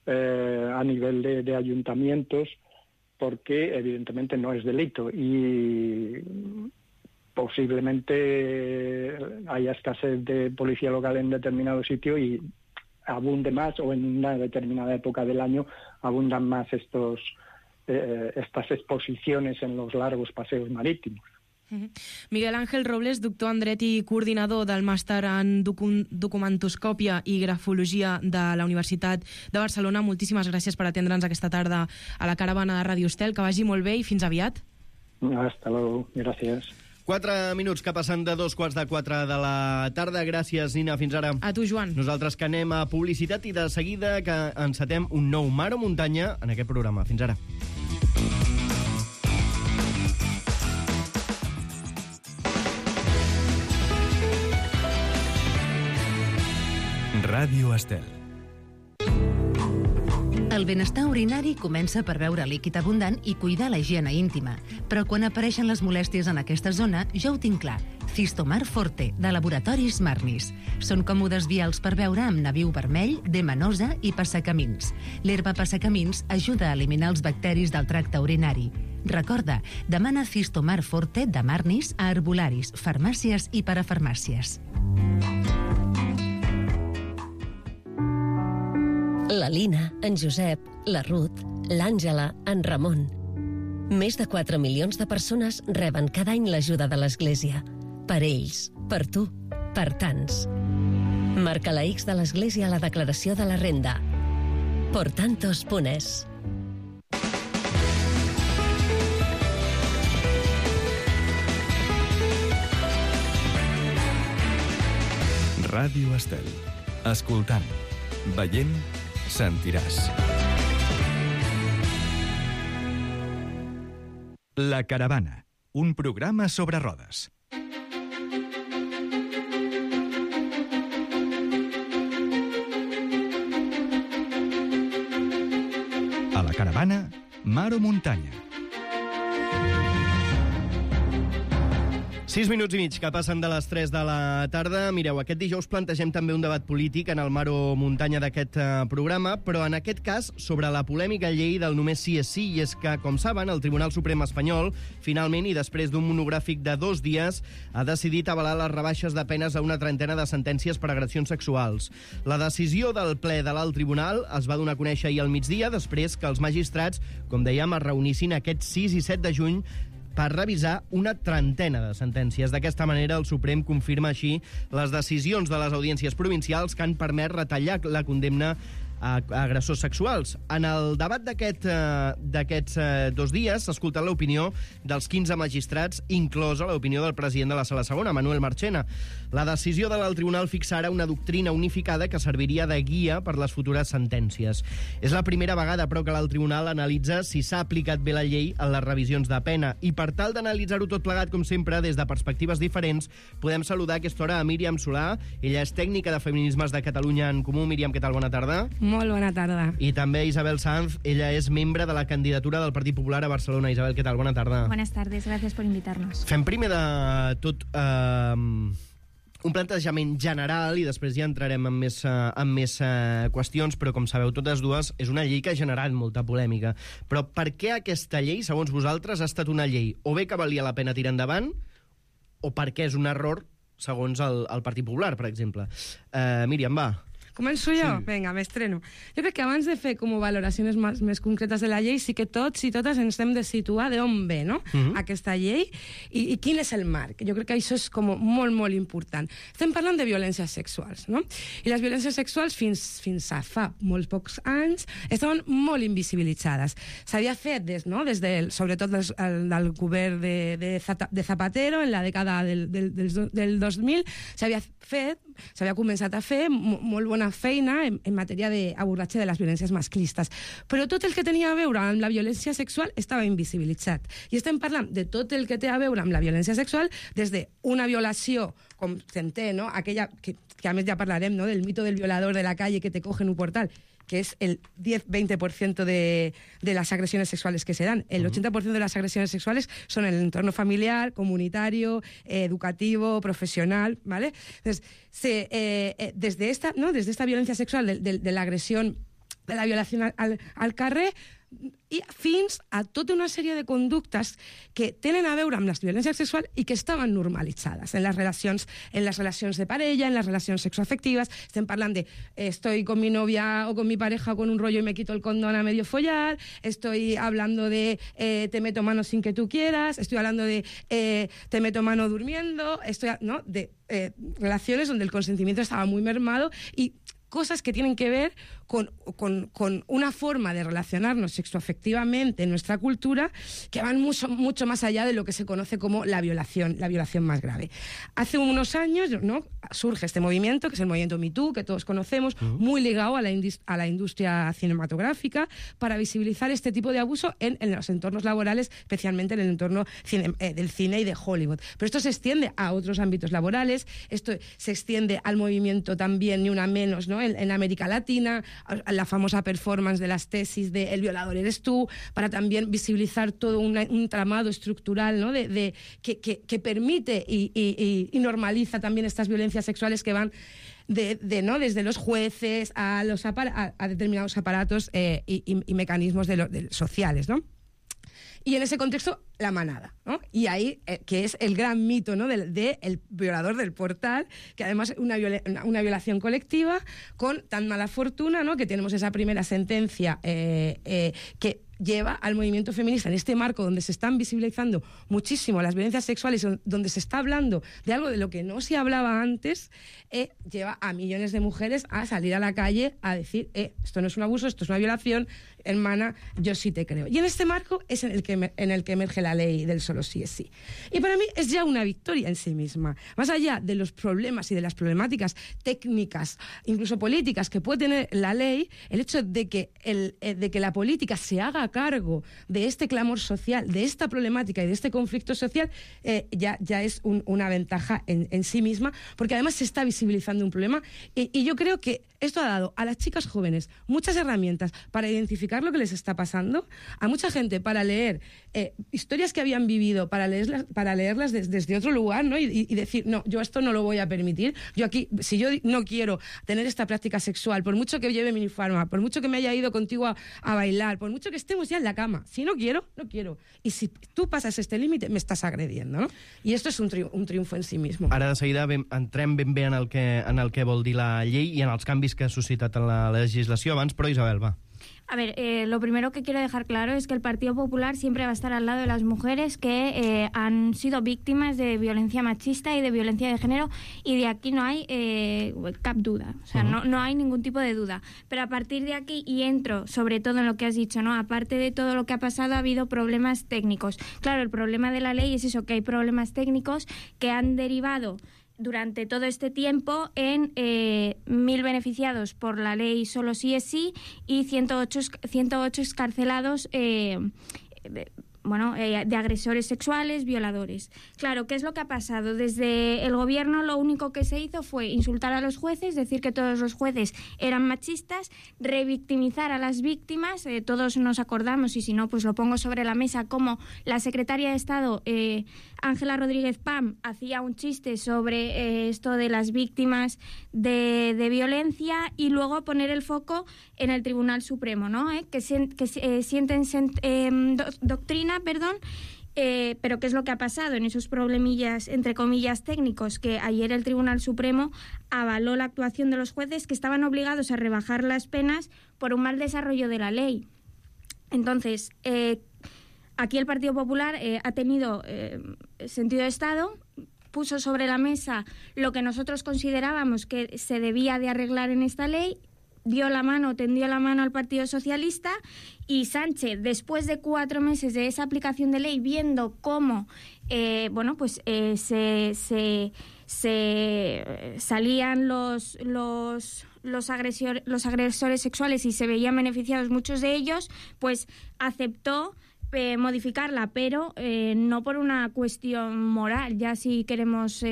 Speaker 15: a nivel de ayuntamientos, porque evidentemente no es delito y posiblemente haya escasez de policía local en determinado sitio y abunde más, o en una determinada época del año abundan más estas exposiciones en los largos paseos marítimos.
Speaker 5: Miguel Ángel Robles, doctor en dret i coordinador del màster en documentoscòpia i grafologia de la Universitat de Barcelona, moltíssimes gràcies per atendre'ns aquesta tarda a la caravana de Ràdio Estel. Que vagi molt bé i fins aviat.
Speaker 15: Hasta luego, gràcies.
Speaker 2: 4 minuts que passen de 3:45 de la tarda. Gràcies, Nina, fins ara.
Speaker 5: A tu, Joan.
Speaker 2: Nosaltres que anem a publicitat i de seguida que encetem un nou Mar o Muntanya en aquest programa. Fins ara.
Speaker 1: Ràdio Estel.
Speaker 16: El benestar urinari comença per beure líquid abundant i cuidar la higiene íntima. Però quan apareixen les molèsties en aquesta zona, ja ho tinc clar. Cistomar Forte, de Laboratoris Marnis. Són còmodes vials per beure amb nabiu vermell, demanosa i passacamins. L'herba passacamins ajuda a eliminar els bacteris del tracte urinari. Recorda, demana Cistomar Forte de Marnis a herbolaris, farmàcies i parafarmàcies.
Speaker 17: La Lina, en Josep, la Ruth, l'Àngela, en Ramon. Més de 4 milions de persones reben cada any l'ajuda de l'Església. Per ells, per tu, per tants. Marca la X de l'Església a la declaració de la renda. Portantos.es.
Speaker 1: Ràdio Estel. Escoltant, veient, sentiràs. La Caravana, un programa sobre rodes. A la Caravana, Mar o Muntanya.
Speaker 2: 6 minuts i mig que passen de les 3 de la tarda. Mireu, aquest dijous plantegem també un debat polític en el Mar o Muntanya d'aquest programa, però en aquest cas sobre la polèmica llei del només sí és sí, i és que, com saben, el Tribunal Suprem espanyol, finalment, i després d'un monogràfic de 2 dies, ha decidit avalar les rebaixes de penes a una trentena de sentències per agressions sexuals. La decisió del ple de l'alt tribunal es va donar a conèixer ahir al migdia, després que els magistrats, com dèiem, es reunissin aquests 6 i 7 de juny per revisar una trentena de sentències. D'aquesta manera, el Suprem confirma així les decisions de les audiències provincials que han permès retallar la condemna a agressors sexuals. En el debat d'aquests 2 dies s'ha escoltat l'opinió dels 15 magistrats, inclosa l'opinió del president de la Sala Segona, Manuel Marchena. La decisió de l'alt tribunal fixa ara una doctrina unificada que serviria de guia per les futures sentències. És la primera vegada, però, que l'alt tribunal analitza si s'ha aplicat bé la llei en les revisions de pena. I per tal d'analitzar-ho tot plegat, com sempre, des de perspectives diferents, podem saludar a aquesta hora a Míriam Solà. Ella és tècnica de Feminismes de Catalunya en Comú. Míriam, què tal? Bona tarda.
Speaker 18: Molt bona tarda.
Speaker 2: I també Isabel Sanz, ella és membre de la candidatura del Partit Popular a Barcelona. Isabel, què tal? Bona tarda.
Speaker 18: Buenas tardes, gracias por invitarnos.
Speaker 2: Fem primer de tot un plantejament general i després ja entrarem en més qüestions, però com sabeu totes dues, és una llei que ha generat molta polèmica. Però per què aquesta llei, segons vosaltres, ha estat una llei o bé que valia la pena tirar endavant o perquè és un error, segons el Partit Popular, per exemple? Míriam, va.
Speaker 18: Començo jo? Sí. Vinga, m'estreno. Jo crec que abans de fer com valoracions més concretes de la llei, sí que tots i totes ens hem de situar d'on ve, no? Aquesta llei i quin és el marc. Jo crec que això és com molt, molt important. Estem parlant de violències sexuals, no? I les violències sexuals fins a fa molts pocs anys estaven molt invisibilitzades. S'havia fet sobretot del govern de Zapatero en la dècada del 2000, s'havia començat a fer molt bona feina en matèria d'abordatge de les violències masclistes. Però tot el que tenia a veure amb la violència sexual estava invisibilitzat. I estem parlant de tot el que té a veure amb la violència sexual des d'una violació, com s'entén, no? Aquella que a més ja parlarem, no? Del mito del violador de la calle que te coge en un portal, que es el 10-20% de las agresiones sexuales que se dan. El 80% de las agresiones sexuales son en el entorno familiar, comunitario, educativo, profesional, ¿vale? Entonces, desde esta violencia sexual, de la agresión, de la violación al carrer, i fins a tota una sèrie de conductes que tenen a veure amb la violència sexual i que estaven normalitzades en les relacions de parella, en les relacions sexoafectives. Estem parlant de estoy con mi novia o con mi pareja con un rollo y me quito el condón a medio follar, estoy hablando de te meto mano sin que tú quieras, estoy hablando de te meto mano durmiendo, de relaciones donde el consentimiento estaba muy mermado y cosas que tienen que ver con una forma de relacionarnos sexoafectivamente en nuestra cultura que van mucho más allá de lo que se conoce como la violación más grave. Hace unos años, ¿no?, surge este movimiento, que es el movimiento Me Too, que todos conocemos, muy ligado a la industria cinematográfica, para visibilizar este tipo de abuso en los entornos laborales, especialmente en el entorno del cine y de Hollywood. Pero esto se extiende a otros ámbitos laborales, esto se extiende al movimiento también, ni una menos, ¿no?, en América Latina, la famosa performance de las tesis de El violador eres tú, para también visibilizar todo un tramado estructural, ¿no?, que permite y normaliza también estas violencias sexuales que van desde los jueces a determinados aparatos y mecanismos sociales, ¿no? Y en ese contexto, la manada, ¿no? Y ahí, que es el gran mito, ¿no?, de el violador del portal, que además es una violación colectiva con tan mala fortuna, ¿no?, que tenemos esa primera sentencia que lleva al movimiento feminista en este marco donde se están visibilizando muchísimo las violencias sexuales, donde se está hablando de algo de lo que no se hablaba antes, lleva a millones de mujeres a salir a la calle a decir, esto no es un abuso, esto es una violación, hermana, yo sí te creo. Y en este marco es en el que emerge la ley del solo sí es sí. Y para mí es ya una victoria en sí misma. Más allá de los problemas y de las problemáticas técnicas, incluso políticas, que puede tener la ley, el hecho de que la política se haga cargo de este clamor social, de esta problemática y de este conflicto social, ya es una ventaja en sí misma, porque además se está visibilizando un problema y yo creo que esto ha dado a las chicas jóvenes muchas herramientas para identificar lo que les está pasando, a mucha gente para leer historias que habían vivido, para leerlas desde otro lugar, ¿no? y decir, no, yo esto no lo voy a permitir, yo aquí, si yo no quiero tener esta práctica sexual, por mucho que lleve minifarma, por mucho que me haya ido contigo a bailar, por mucho que estemos ya en la cama, si no quiero, no quiero. I si tu passes este límit, m'estàs agrediendo, no? I esto és un triomfo en si mismo.
Speaker 2: Ara de seguida entrem ben bé en el que vol dir la llei i en els canvis que ha suscitat en la legislació abans, però Isabel, va.
Speaker 19: A ver, lo primero que quiero dejar claro es que el Partido Popular siempre va a estar al lado de las mujeres que han sido víctimas de violencia machista y de violencia de género, y de aquí no hay cap duda, o sea, no hay ningún tipo de duda. Pero a partir de aquí, y entro sobre todo en lo que has dicho, ¿no? Aparte de todo lo que ha pasado, ha habido problemas técnicos. Claro, el problema de la ley es eso, que hay problemas técnicos que han derivado durante todo este tiempo en 1.000 beneficiados por la ley solo sí es sí y 108 excarcelados de agresores sexuales, violadores. Claro, ¿qué es lo que ha pasado? Desde el gobierno lo único que se hizo fue insultar a los jueces, decir que todos los jueces eran machistas, revictimizar a las víctimas. Todos nos acordamos, y si no, pues lo pongo sobre la mesa, como la secretaria de Estado, Ángela Rodríguez Pam, hacía un chiste sobre esto de las víctimas de violencia, y luego poner el foco en el Tribunal Supremo, ¿no? Que sienten doctrina, pero ¿qué es lo que ha pasado en esos problemillas, entre comillas, técnicos? Que ayer el Tribunal Supremo avaló la actuación de los jueces, que estaban obligados a rebajar las penas por un mal desarrollo de la ley. Entonces, aquí el Partido Popular ha tenido sentido de Estado, puso sobre la mesa lo que nosotros considerábamos que se debía de arreglar en esta ley, tendió la mano al Partido Socialista, y Sánchez, después de 4 meses de esa aplicación de ley, viendo cómo salían los agresores sexuales y se veían beneficiados muchos de ellos, pues aceptó modificarla, pero no por una cuestión moral, ya si queremos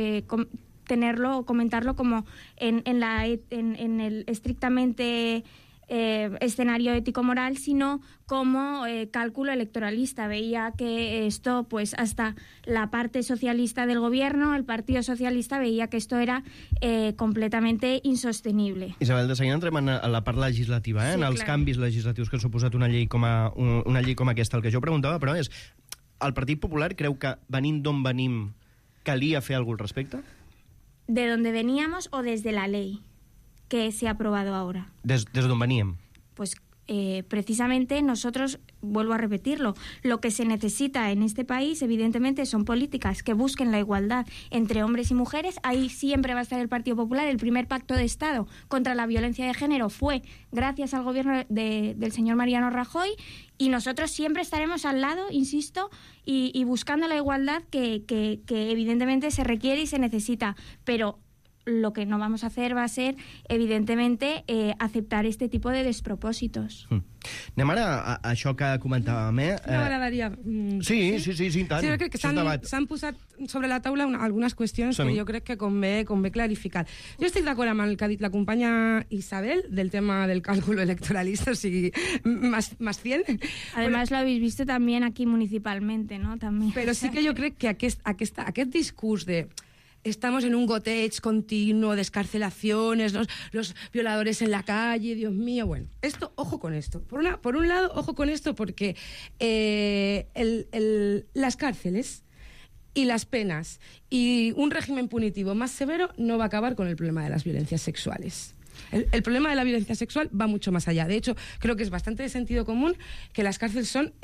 Speaker 19: tenerlo o comentarlo como en el estrictamente escenario ético-moral, sino como cálculo electoralista. Veía que esto, pues hasta la parte socialista del gobierno, el Partido Socialista, veía que esto era completamente insostenible.
Speaker 2: Isabel, de seguida entrem a la part legislativa,
Speaker 19: Sí,
Speaker 2: en els
Speaker 19: clar.
Speaker 2: canvis legislatius que ha suposat una llei com aquesta. El que jo preguntava, però, és el Partit Popular creu que, venint d'on venim, calia fer alguna cosa al respecte?
Speaker 19: ¿De dónde veníamos o desde la ley que se ha aprobado ahora?
Speaker 2: Des d'on veníem.
Speaker 19: Pues precisamente nosotros, vuelvo a repetirlo, lo que se necesita en este país, evidentemente, son políticas que busquen la igualdad entre hombres y mujeres. Ahí siempre va a estar el Partido Popular. El primer pacto de Estado contra la violencia de género fue gracias al gobierno del señor Mariano Rajoy, y nosotros siempre estaremos al lado, insisto, y buscando la igualdad que evidentemente se requiere y se necesita. Pero lo que no vamos a hacer va a ser, evidentemente, aceptar este tipo de despropòsitos.
Speaker 2: Anem ara a això que comentàvem,
Speaker 18: M'agradaria...
Speaker 2: Sí, i tant.
Speaker 18: Sí, jo crec que s'han posat sobre la taula algunes qüestions que jo crec que convé clarificar. Jo estic d'acord amb el que ha dit la companya Isabel del tema del cálculo electoralista, o sigui, más 100.
Speaker 19: Además, lo habéis visto también aquí municipalmente, ¿no? También.
Speaker 18: Però sí que jo crec que aquest discurs de estamos en un goteig continuo de escarcelaciones, los violadores en la calle, Dios mío, bueno, esto, ojo con esto. Por un lado, ojo con esto porque las cárceles y las penas y un régimen punitivo más severo no va a acabar con el problema de las violencias sexuales. El problema de la violencia sexual va mucho más allá. De hecho, creo que es bastante de sentido común que las cárceles son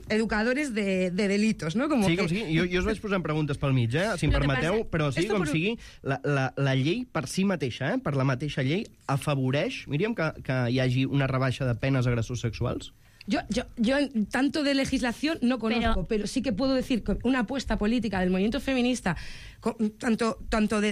Speaker 18: educadores de delitos, ¿no? Como
Speaker 2: sí,
Speaker 18: que...
Speaker 2: com sigui. Jo us vaig posant preguntes pel mig, si em permeteu, però sí, com sigui, la llei per si mateixa, per la mateixa llei, afavoreix, Míriam, que hi hagi una rebaixa de penes a agressors sexuals?
Speaker 18: Yo tanto de legislación no conozco, pero sí que puedo decir que una apuesta política del movimiento feminista,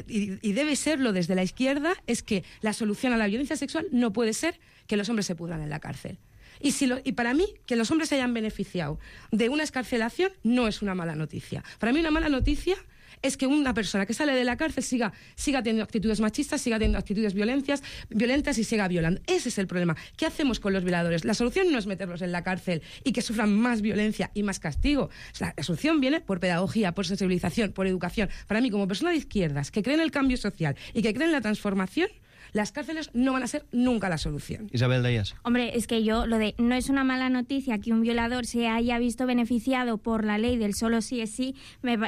Speaker 18: y debe serlo desde la izquierda, es que la solución a la violencia sexual no puede ser que los hombres se pudran en la cárcel. Y para mí, que los hombres se hayan beneficiado de una excarcelación no es una mala noticia. Para mí una mala noticia es que una persona que sale de la cárcel siga teniendo actitudes machistas, siga teniendo actitudes violentas y siga violando. Ese es el problema. ¿Qué hacemos con los violadores? La solución no es meterlos en la cárcel y que sufran más violencia y más castigo. La solución viene por pedagogía, por sensibilización, por educación. Para mí, como persona de izquierdas que cree en el cambio social y que cree en la transformación, las cárceles no van a ser nunca la solución.
Speaker 2: Isabel, deies.
Speaker 19: Hombre, es que yo, no es una mala noticia que un violador se haya visto beneficiado por la ley del solo sí es sí,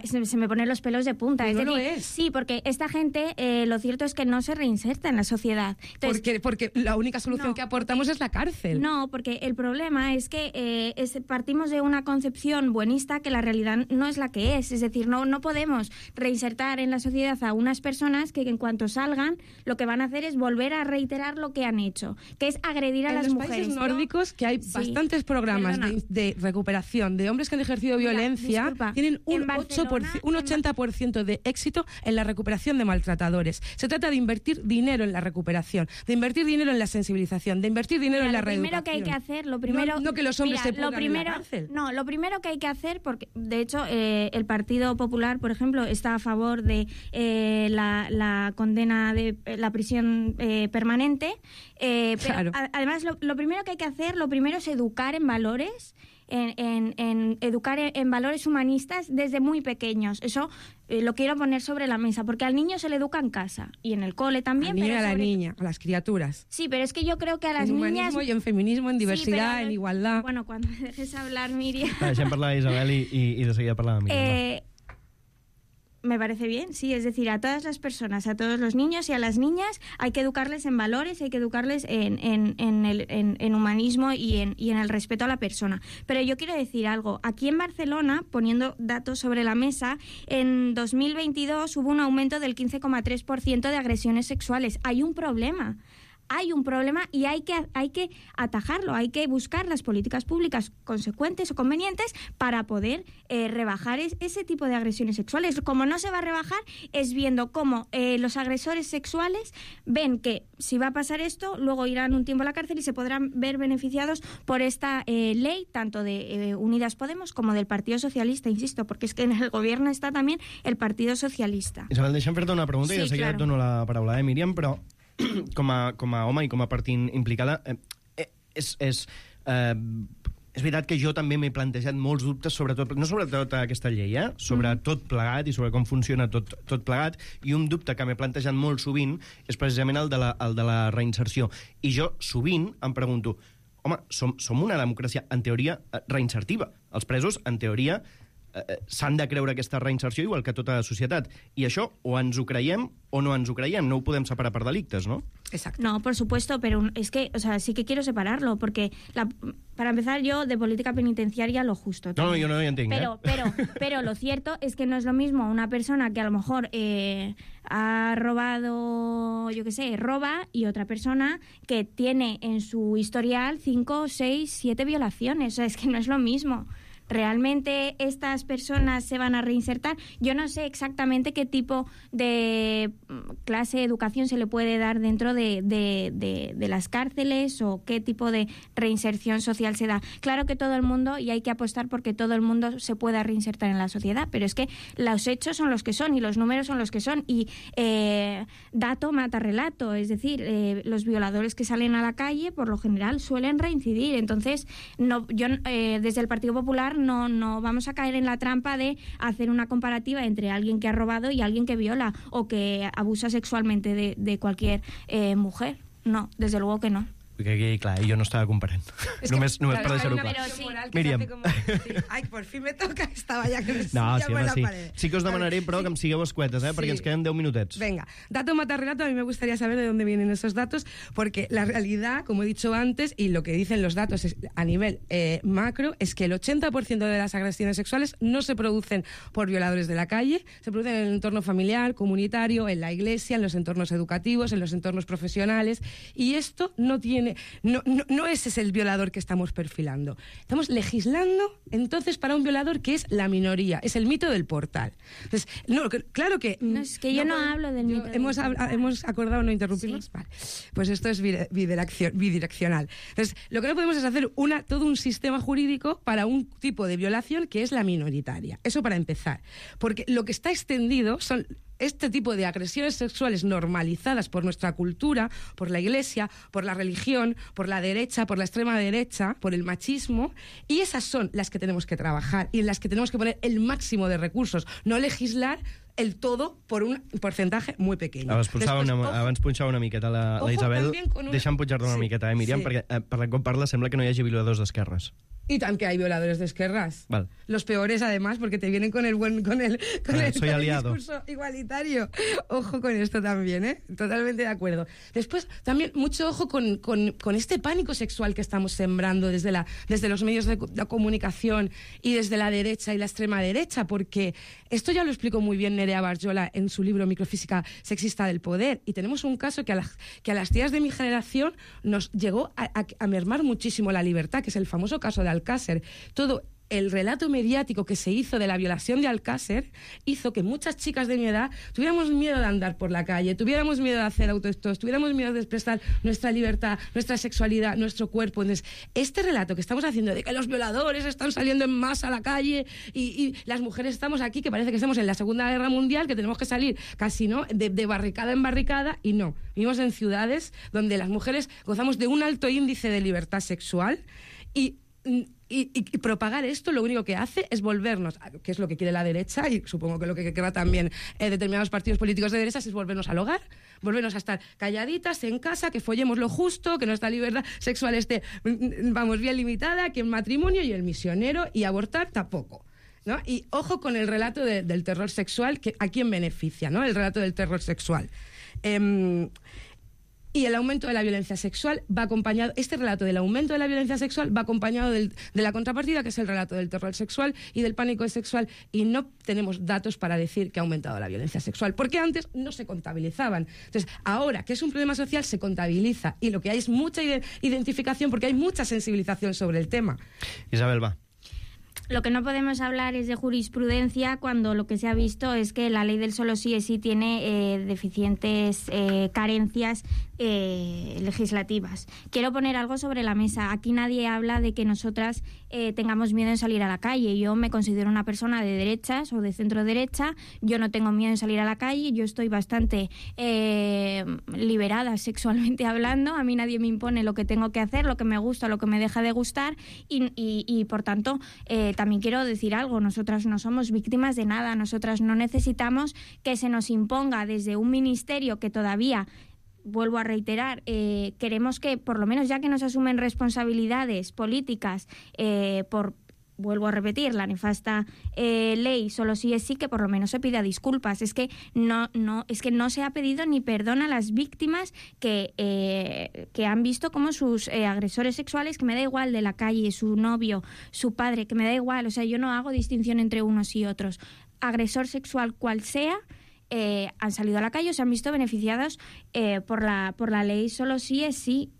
Speaker 19: se me ponen los pelos de punta.
Speaker 18: Pues
Speaker 19: es
Speaker 18: no
Speaker 19: decir,
Speaker 18: lo es.
Speaker 19: Sí, porque esta gente, lo cierto es que no se reinserta en la sociedad. Entonces,
Speaker 18: porque la única solución que aportamos es la cárcel.
Speaker 19: No, porque el problema es que partimos de una concepción buenista que la realidad no es la que es. Es decir, no podemos reinsertar en la sociedad a unas personas que en cuanto salgan lo que van a hacer es volver a reiterar lo que han hecho, que es agredir a las mujeres.
Speaker 18: En los países nórdicos, que hay bastantes programas de recuperación de hombres que han ejercido violencia, tienen un 80% de éxito en la recuperación de maltratadores. Se trata de invertir dinero en la recuperación, de invertir dinero en la sensibilización, de invertir dinero en la reeducación.
Speaker 19: Lo primero que hay que hacer,
Speaker 18: no que los hombres se pudran en la cárcel.
Speaker 19: No, lo primero que hay que hacer, porque de hecho el Partido Popular, por ejemplo, está a favor de la condena de la prisión permanente,
Speaker 18: claro.
Speaker 19: Pero además lo primero que hay que hacer, es educar en valores, educar en valores humanistas desde muy pequeños. Eso lo quiero poner sobre la mesa, porque al niño se le educa en casa y en el cole también.
Speaker 18: Al niño y a la niña, a las criaturas.
Speaker 19: Sí, pero es que yo creo que a las niñas...
Speaker 18: En humanismo y en feminismo, en diversidad, en igualdad...
Speaker 19: Bueno, cuando me dejes hablar, Miriam...
Speaker 2: Deixem parlar d'Isabel i de seguida parlar de Miriam.
Speaker 19: Me parece bien, sí, es decir, a todas las personas, a todos los niños y a las niñas hay que educarles en valores, hay que educarles en humanismo y en el respeto a la persona. Pero yo quiero decir algo, aquí en Barcelona, poniendo datos sobre la mesa, en 2022 hubo un aumento del 15,3% de agresiones sexuales. Hay un problema y hay que atajarlo, hay que buscar las políticas públicas consecuentes o convenientes para poder rebajar ese tipo de agresiones sexuales. Como no se va a rebajar es viendo cómo los agresores sexuales ven que si va a pasar esto, luego irán un tiempo a la cárcel y se podrán ver beneficiados por esta ley, tanto de Unidas Podemos como del Partido Socialista, insisto, porque es que en el gobierno está también el Partido Socialista.
Speaker 2: Isabel, deixa'm fer-te una pregunta i de seguida et dono la paraula, Míriam, però com a home i com a part implicada, és veritat que jo també m'he plantejat molts dubtes, no sobretot aquesta llei, sobre tot plegat i sobre com funciona tot plegat, i un dubte que m'he plantejat molt sovint és precisament el de la reinserció. I jo sovint em pregunto, home, som una democràcia, en teoria, reinsertiva. Els presos, en teoria, s'han de creure aquesta reinserció igual que tota la societat. I això o ens ho creiem o no ens ho creiem. No ho podem separar per delictes, ¿no?
Speaker 18: Exacto.
Speaker 19: No, por supuesto, pero es que, o sea, sí que quiero separarlo, porque para empezar yo de política penitenciaria lo justo.
Speaker 2: No, yo no lo entiendo.
Speaker 19: Pero lo cierto es que no es lo mismo una persona que a lo mejor ha robado, yo qué sé, roba, y otra persona que tiene en su historial 5, 6, 7 violaciones. O sea, es que no es lo mismo. ¿Realmente estas personas se van a reinsertar? Yo no sé exactamente qué tipo de clase de educación se le puede dar dentro de las cárceles o qué tipo de reinserción social se da. Claro que todo el mundo, y hay que apostar porque todo el mundo se pueda reinsertar en la sociedad, pero es que los hechos son los que son y los números son los que son, y dato mata relato, es decir, los violadores que salen a la calle por lo general suelen reincidir. Entonces, desde el Partido Popular no vamos a caer en la trampa de hacer una comparativa entre alguien que ha robado y alguien que viola o que abusa sexualmente de cualquier mujer. No, desde luego que no.
Speaker 2: Que clar, jo no estava comparant. Només per deixar-ho clar. Míriam.
Speaker 18: Ai, por fin me toca, estava ja que
Speaker 2: no, sí que us demanaré, però que em sigueu escuetes, perquè ens queden 10 minutets.
Speaker 18: Venga, dato mata relato, a mí me gustaría saber de dónde vienen esos datos, porque la realidad, como he dicho antes, y lo que dicen los datos a nivel macro, es que el 80% de las agresiones sexuales no se producen por violadores de la calle, se producen en el entorno familiar, comunitario, en la iglesia, en los entornos educativos, en los entornos profesionales, y esto no ese es el violador que estamos perfilando. Estamos legislando, entonces, para un violador que es la minoría, es el mito del portal. Entonces, claro que...
Speaker 19: No, es que yo no hablo del mito del portal.
Speaker 18: Hemos acordado no interrumpirnos. Sí. Vale. Pues esto es bidireccional. Entonces, lo que no podemos es hacer todo un sistema jurídico para un tipo de violación que es la minoritaria. Eso para empezar. Porque lo que está extendido son este tipo de agresiones sexuales normalizadas por nuestra cultura, por la iglesia, por la religión, por la derecha, por la extrema derecha, por el machismo, y esas son las que tenemos que trabajar y en las que tenemos que poner el máximo de recursos, no legislar el todo por un porcentaje muy pequeño.
Speaker 2: Abans punxava una miqueta la Isabel. Deixa'm punxar-te una miqueta, Míriam, perquè per com parla sembla que no hi hagi violadors d'esquerres.
Speaker 18: Y también que hay violadores de izquierdas.
Speaker 2: Vale.
Speaker 18: Los peores, además, porque te vienen con el discurso igualitario. Ojo con esto también, ¿eh? Totalmente de acuerdo. Después, también, mucho ojo con este pánico sexual que estamos sembrando desde los medios de comunicación y desde la derecha y la extrema derecha, porque esto ya lo explicó muy bien Nerea Barjola en su libro Microfísica sexista del poder, y tenemos un caso que a las tías de mi generación nos llegó a mermar muchísimo la libertad, que es el famoso caso de Alcácer. Todo el relato mediático que se hizo de la violación de Alcácer hizo que muchas chicas de mi edad tuviéramos miedo de andar por la calle, tuviéramos miedo de hacer autoestos, tuviéramos miedo de expresar nuestra libertad, nuestra sexualidad, nuestro cuerpo. Entonces, este relato que estamos haciendo de que los violadores están saliendo en masa a la calle y las mujeres estamos aquí, que parece que estamos en la Segunda Guerra Mundial, que tenemos que salir casi, ¿no?, de barricada en barricada, y no. Vivimos en ciudades donde las mujeres gozamos de un alto índice de libertad sexual, y propagar esto lo único que hace es volvernos, que es lo que quiere la derecha, y supongo que lo que querrá también determinados partidos políticos de derechas, es volvernos al hogar, volvernos a estar calladitas en casa, que follemos lo justo, que nuestra libertad sexual esté, vamos, bien limitada, que el matrimonio y el misionero, y abortar tampoco, ¿no? Y ojo con el relato del terror sexual, que a quién beneficia, ¿no?, el relato del terror sexual. Y el aumento de la violencia sexual va acompañado, este relato del aumento de la violencia sexual va acompañado de la contrapartida, que es el relato del terror sexual y del pánico sexual, y no tenemos datos para decir que ha aumentado la violencia sexual, porque antes no se contabilizaban. Entonces, ahora que es un problema social, se contabiliza, y lo que hay es mucha identificación, porque hay mucha sensibilización sobre el tema.
Speaker 2: Isabel, va.
Speaker 19: lo que no podemos hablar es de jurisprudencia cuando lo que se ha visto es que la ley del solo sí es sí tiene deficientes carencias legislativas. Quiero poner algo sobre la mesa. Aquí nadie habla de que nosotras tengamos miedo en salir a la calle. Yo me considero una persona de derechas o de centro derecha. Yo no tengo miedo en salir a la calle. Yo estoy bastante liberada sexualmente hablando. A mí nadie me impone lo que tengo que hacer, lo que me gusta, lo que me deja de gustar y por tanto también quiero decir algo. Nosotras no somos víctimas de nada. Nosotras no necesitamos que se nos imponga desde un ministerio que todavía, vuelvo a reiterar, queremos que por lo menos ya que nos asumen responsabilidades políticas vuelvo a repetir, la nefasta ley solo sí es sí, que por lo menos se pida disculpas. Es que no se ha pedido ni perdón a las víctimas que han visto como sus agresores sexuales, que me da igual, de la calle, su novio, su padre, que me da igual, o sea, yo no hago distinción entre unos y otros. Agresor sexual cual sea, han salido a la calle o se han visto beneficiados por la ley solo sí es sí.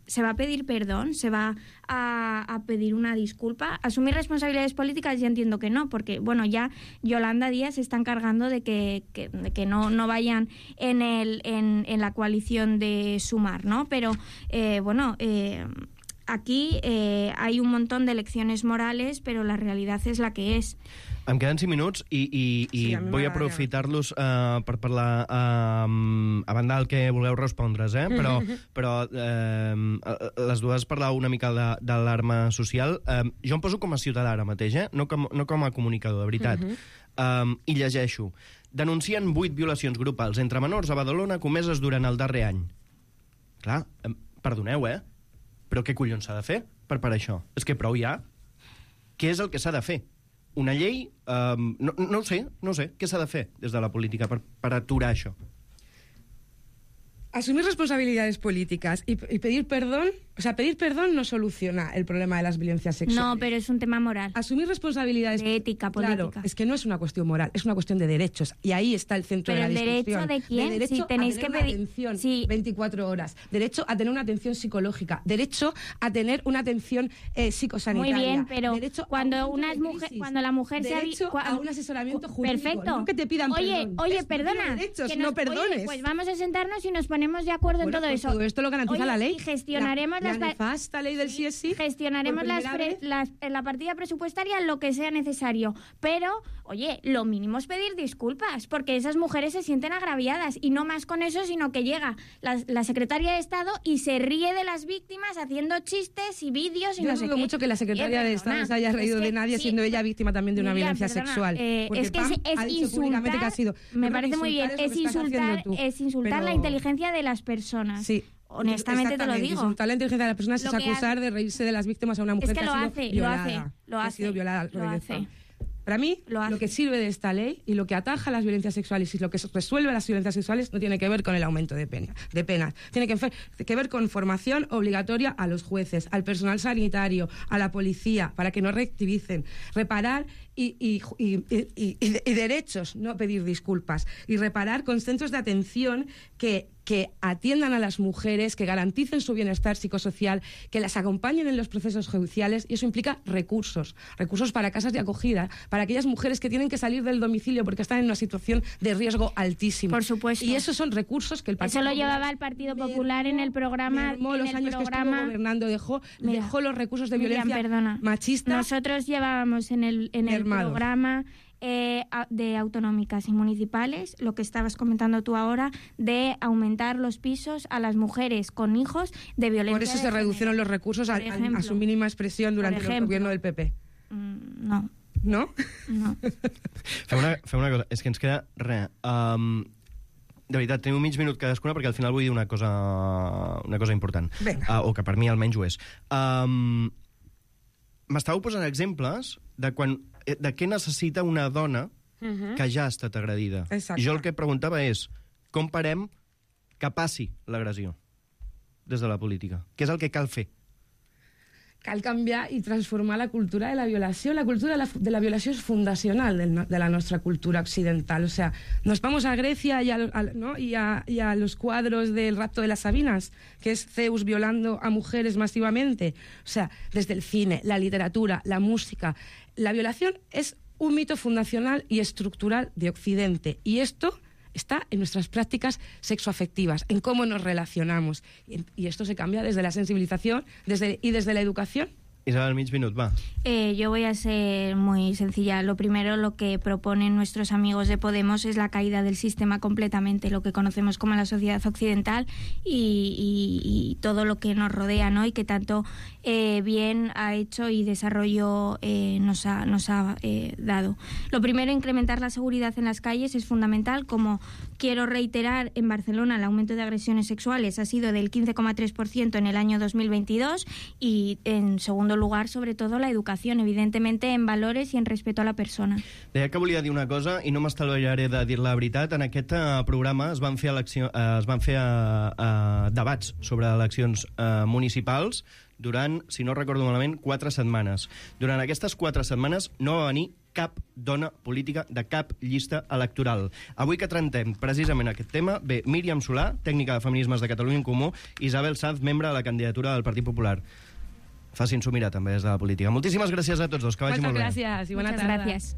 Speaker 19: ¿Se va a pedir perdón? ¿Se va a pedir una disculpa? ¿Asumir responsabilidades políticas? Ya entiendo que no, porque bueno, ya Yolanda Díaz se está encargando de que no vayan en la coalición de Sumar, ¿no? Pero aquí hay un montón de lecciones morales, pero la realidad es la que es.
Speaker 2: Em queden 5 minuts i vull aprofitar-los per parlar a banda del que vulgueu respondre's, però les dues parlàveu una mica de l'alarma social. Jo em poso com a ciutadà ara mateix, no com a comunicador, de veritat. I llegeixo. Denuncien 8 violacions grupals entre menors a Badalona comeses durant el darrer any. Clar, perdoneu, però què collons s'ha de fer per això? És que prou ja. Què és el que s'ha de fer? Una llei? No sé. Què s'ha de fer des de la política per aturar això?
Speaker 18: Asumir responsabilidades políticas y pedir perdón, o sea, pedir perdón no soluciona el problema de las violencias sexuales.
Speaker 19: No, pero es un tema moral.
Speaker 18: Asumir responsabilidades...
Speaker 19: De ética política.
Speaker 18: Claro, es que no es una cuestión moral, es una cuestión de derechos. Y ahí está el centro de la discusión.
Speaker 19: ¿Pero el derecho de quién?
Speaker 18: De derecho
Speaker 19: si tenéis
Speaker 18: a tener
Speaker 19: que
Speaker 18: una atención 24 horas. Derecho a tener una atención psicológica. Derecho a tener una atención psicosanitaria.
Speaker 19: Muy bien, pero
Speaker 18: derecho
Speaker 19: cuando la mujer se ha
Speaker 18: visto... a un asesoramiento jurídico.
Speaker 19: Perfecto.
Speaker 18: No que te pidan perdón.
Speaker 19: Oye, perdona.
Speaker 18: Derechos, no perdones.
Speaker 19: Oye, pues vamos a sentarnos y nos ponemos de acuerdo en todo eso.
Speaker 18: Todo esto lo garantiza la ley.
Speaker 19: Y gestionaremos
Speaker 18: la nefasta ley del sí es sí.
Speaker 19: Gestionaremos la partida presupuestaria lo que sea necesario. Pero, oye, lo mínimo es pedir disculpas, porque esas mujeres se sienten agraviadas. Y no más con eso, sino que llega la secretaria de Estado y se ríe de las víctimas haciendo chistes y vídeos y
Speaker 18: yo
Speaker 19: no sé qué.
Speaker 18: Yo dudo mucho que la secretaria de Estado se haya reído de nadie, siendo ella víctima también de una violencia sexual.
Speaker 19: Es que es insultar. Me parece muy bien. Es insultar la inteligencia de las personas.
Speaker 18: Sí.
Speaker 19: Honestamente te lo digo.
Speaker 18: Insultar la inteligencia de las personas es acusar de reírse de las víctimas a una mujer que ha sido violada.
Speaker 19: Lo hace.
Speaker 18: Para mí, lo que sirve de esta ley y lo que ataja las violencias sexuales y lo que resuelve las violencias sexuales no tiene que ver con el aumento de penas. Tiene que ver con formación obligatoria a los jueces, al personal sanitario, a la policía, para que no reactivicen, reparar y derechos, no pedir disculpas, y reparar con centros de atención que atiendan a las mujeres, que garanticen su bienestar psicosocial, que las acompañen en los procesos judiciales, y eso implica recursos para casas de acogida, para aquellas mujeres que tienen que salir del domicilio porque están en una situación de riesgo altísimo.
Speaker 19: Por supuesto.
Speaker 18: Y esos son recursos que el Partido
Speaker 19: Popular... Eso lo llevaba el Partido Popular en el programa.
Speaker 18: Los años que estuvo gobernando dejó los recursos de violencia machista.
Speaker 19: Nosotros llevábamos en el programa... de autonómicas y municipales, lo que estabas comentando tú ahora, de aumentar los pisos a las mujeres con hijos de violencia.
Speaker 18: Por eso se redujeron los recursos a su mínima expresión durante el gobierno del PP.
Speaker 19: No.
Speaker 18: No?
Speaker 19: No.
Speaker 2: Fem una cosa, és que ens queda res. De veritat, tenim un mig minut cadascuna perquè al final vull dir una cosa important. O que per mi almenys ho és. M'estàveu posant exemples de què necessita una dona que ja ha estat agredida.
Speaker 18: Exacte.
Speaker 2: Jo el que preguntava és com parem que passi l'agressió des de la política? Què és el que cal fer?
Speaker 18: cal canviar i transformar la cultura de la violació. La cultura de la violació és fundacional de la nostra cultura occidental. O sea, nos vamos a Grecia y a los cuadros del rapto de las Sabinas, que es Zeus violando a mujeres masivamente. O sea, desde el cine, la literatura, la música. La violación es un mito fundacional y estructural de Occidente. Y esto está en nuestras prácticas sexoafectivas, en cómo nos relacionamos. Y esto se cambia desde la sensibilización y desde la educación.
Speaker 2: Isabel, mig minut, va.
Speaker 19: Yo voy a ser muy sencilla. Lo primero, lo que proponen nuestros amigos de Podemos es la caída del sistema completamente, lo que conocemos como la sociedad occidental y todo lo que nos rodea, ¿no? Y que tanto bien ha hecho y desarrollo nos ha dado. Lo primero, incrementar la seguridad en las calles es fundamental. Como quiero reiterar, en Barcelona el aumento de agresiones sexuales ha sido del 15,3% en el año 2022 y en segundo lugar, sobre todo, la educació, evidentemente, en valores i en respeto a la persona.
Speaker 2: Deia que volia dir una cosa i no m'estalviaré de dir la veritat. En aquest programa es van fer debats sobre eleccions municipals durant, si no recordo malament, 4 setmanes. Durant aquestes 4 setmanes no va venir cap dona política de cap llista electoral. Avui que trantem precisament aquest tema, ve Míriam Solà, tècnica de feminismes de Catalunya en Comú, i Isabel Sanz, membre de la candidatura del Partit Popular. Facin-s'ho mirar també des de la política. Moltíssimes gràcies a tots dos, que vagi molt bé.
Speaker 18: Moltes gràcies i bona tarda.
Speaker 19: Gràcies.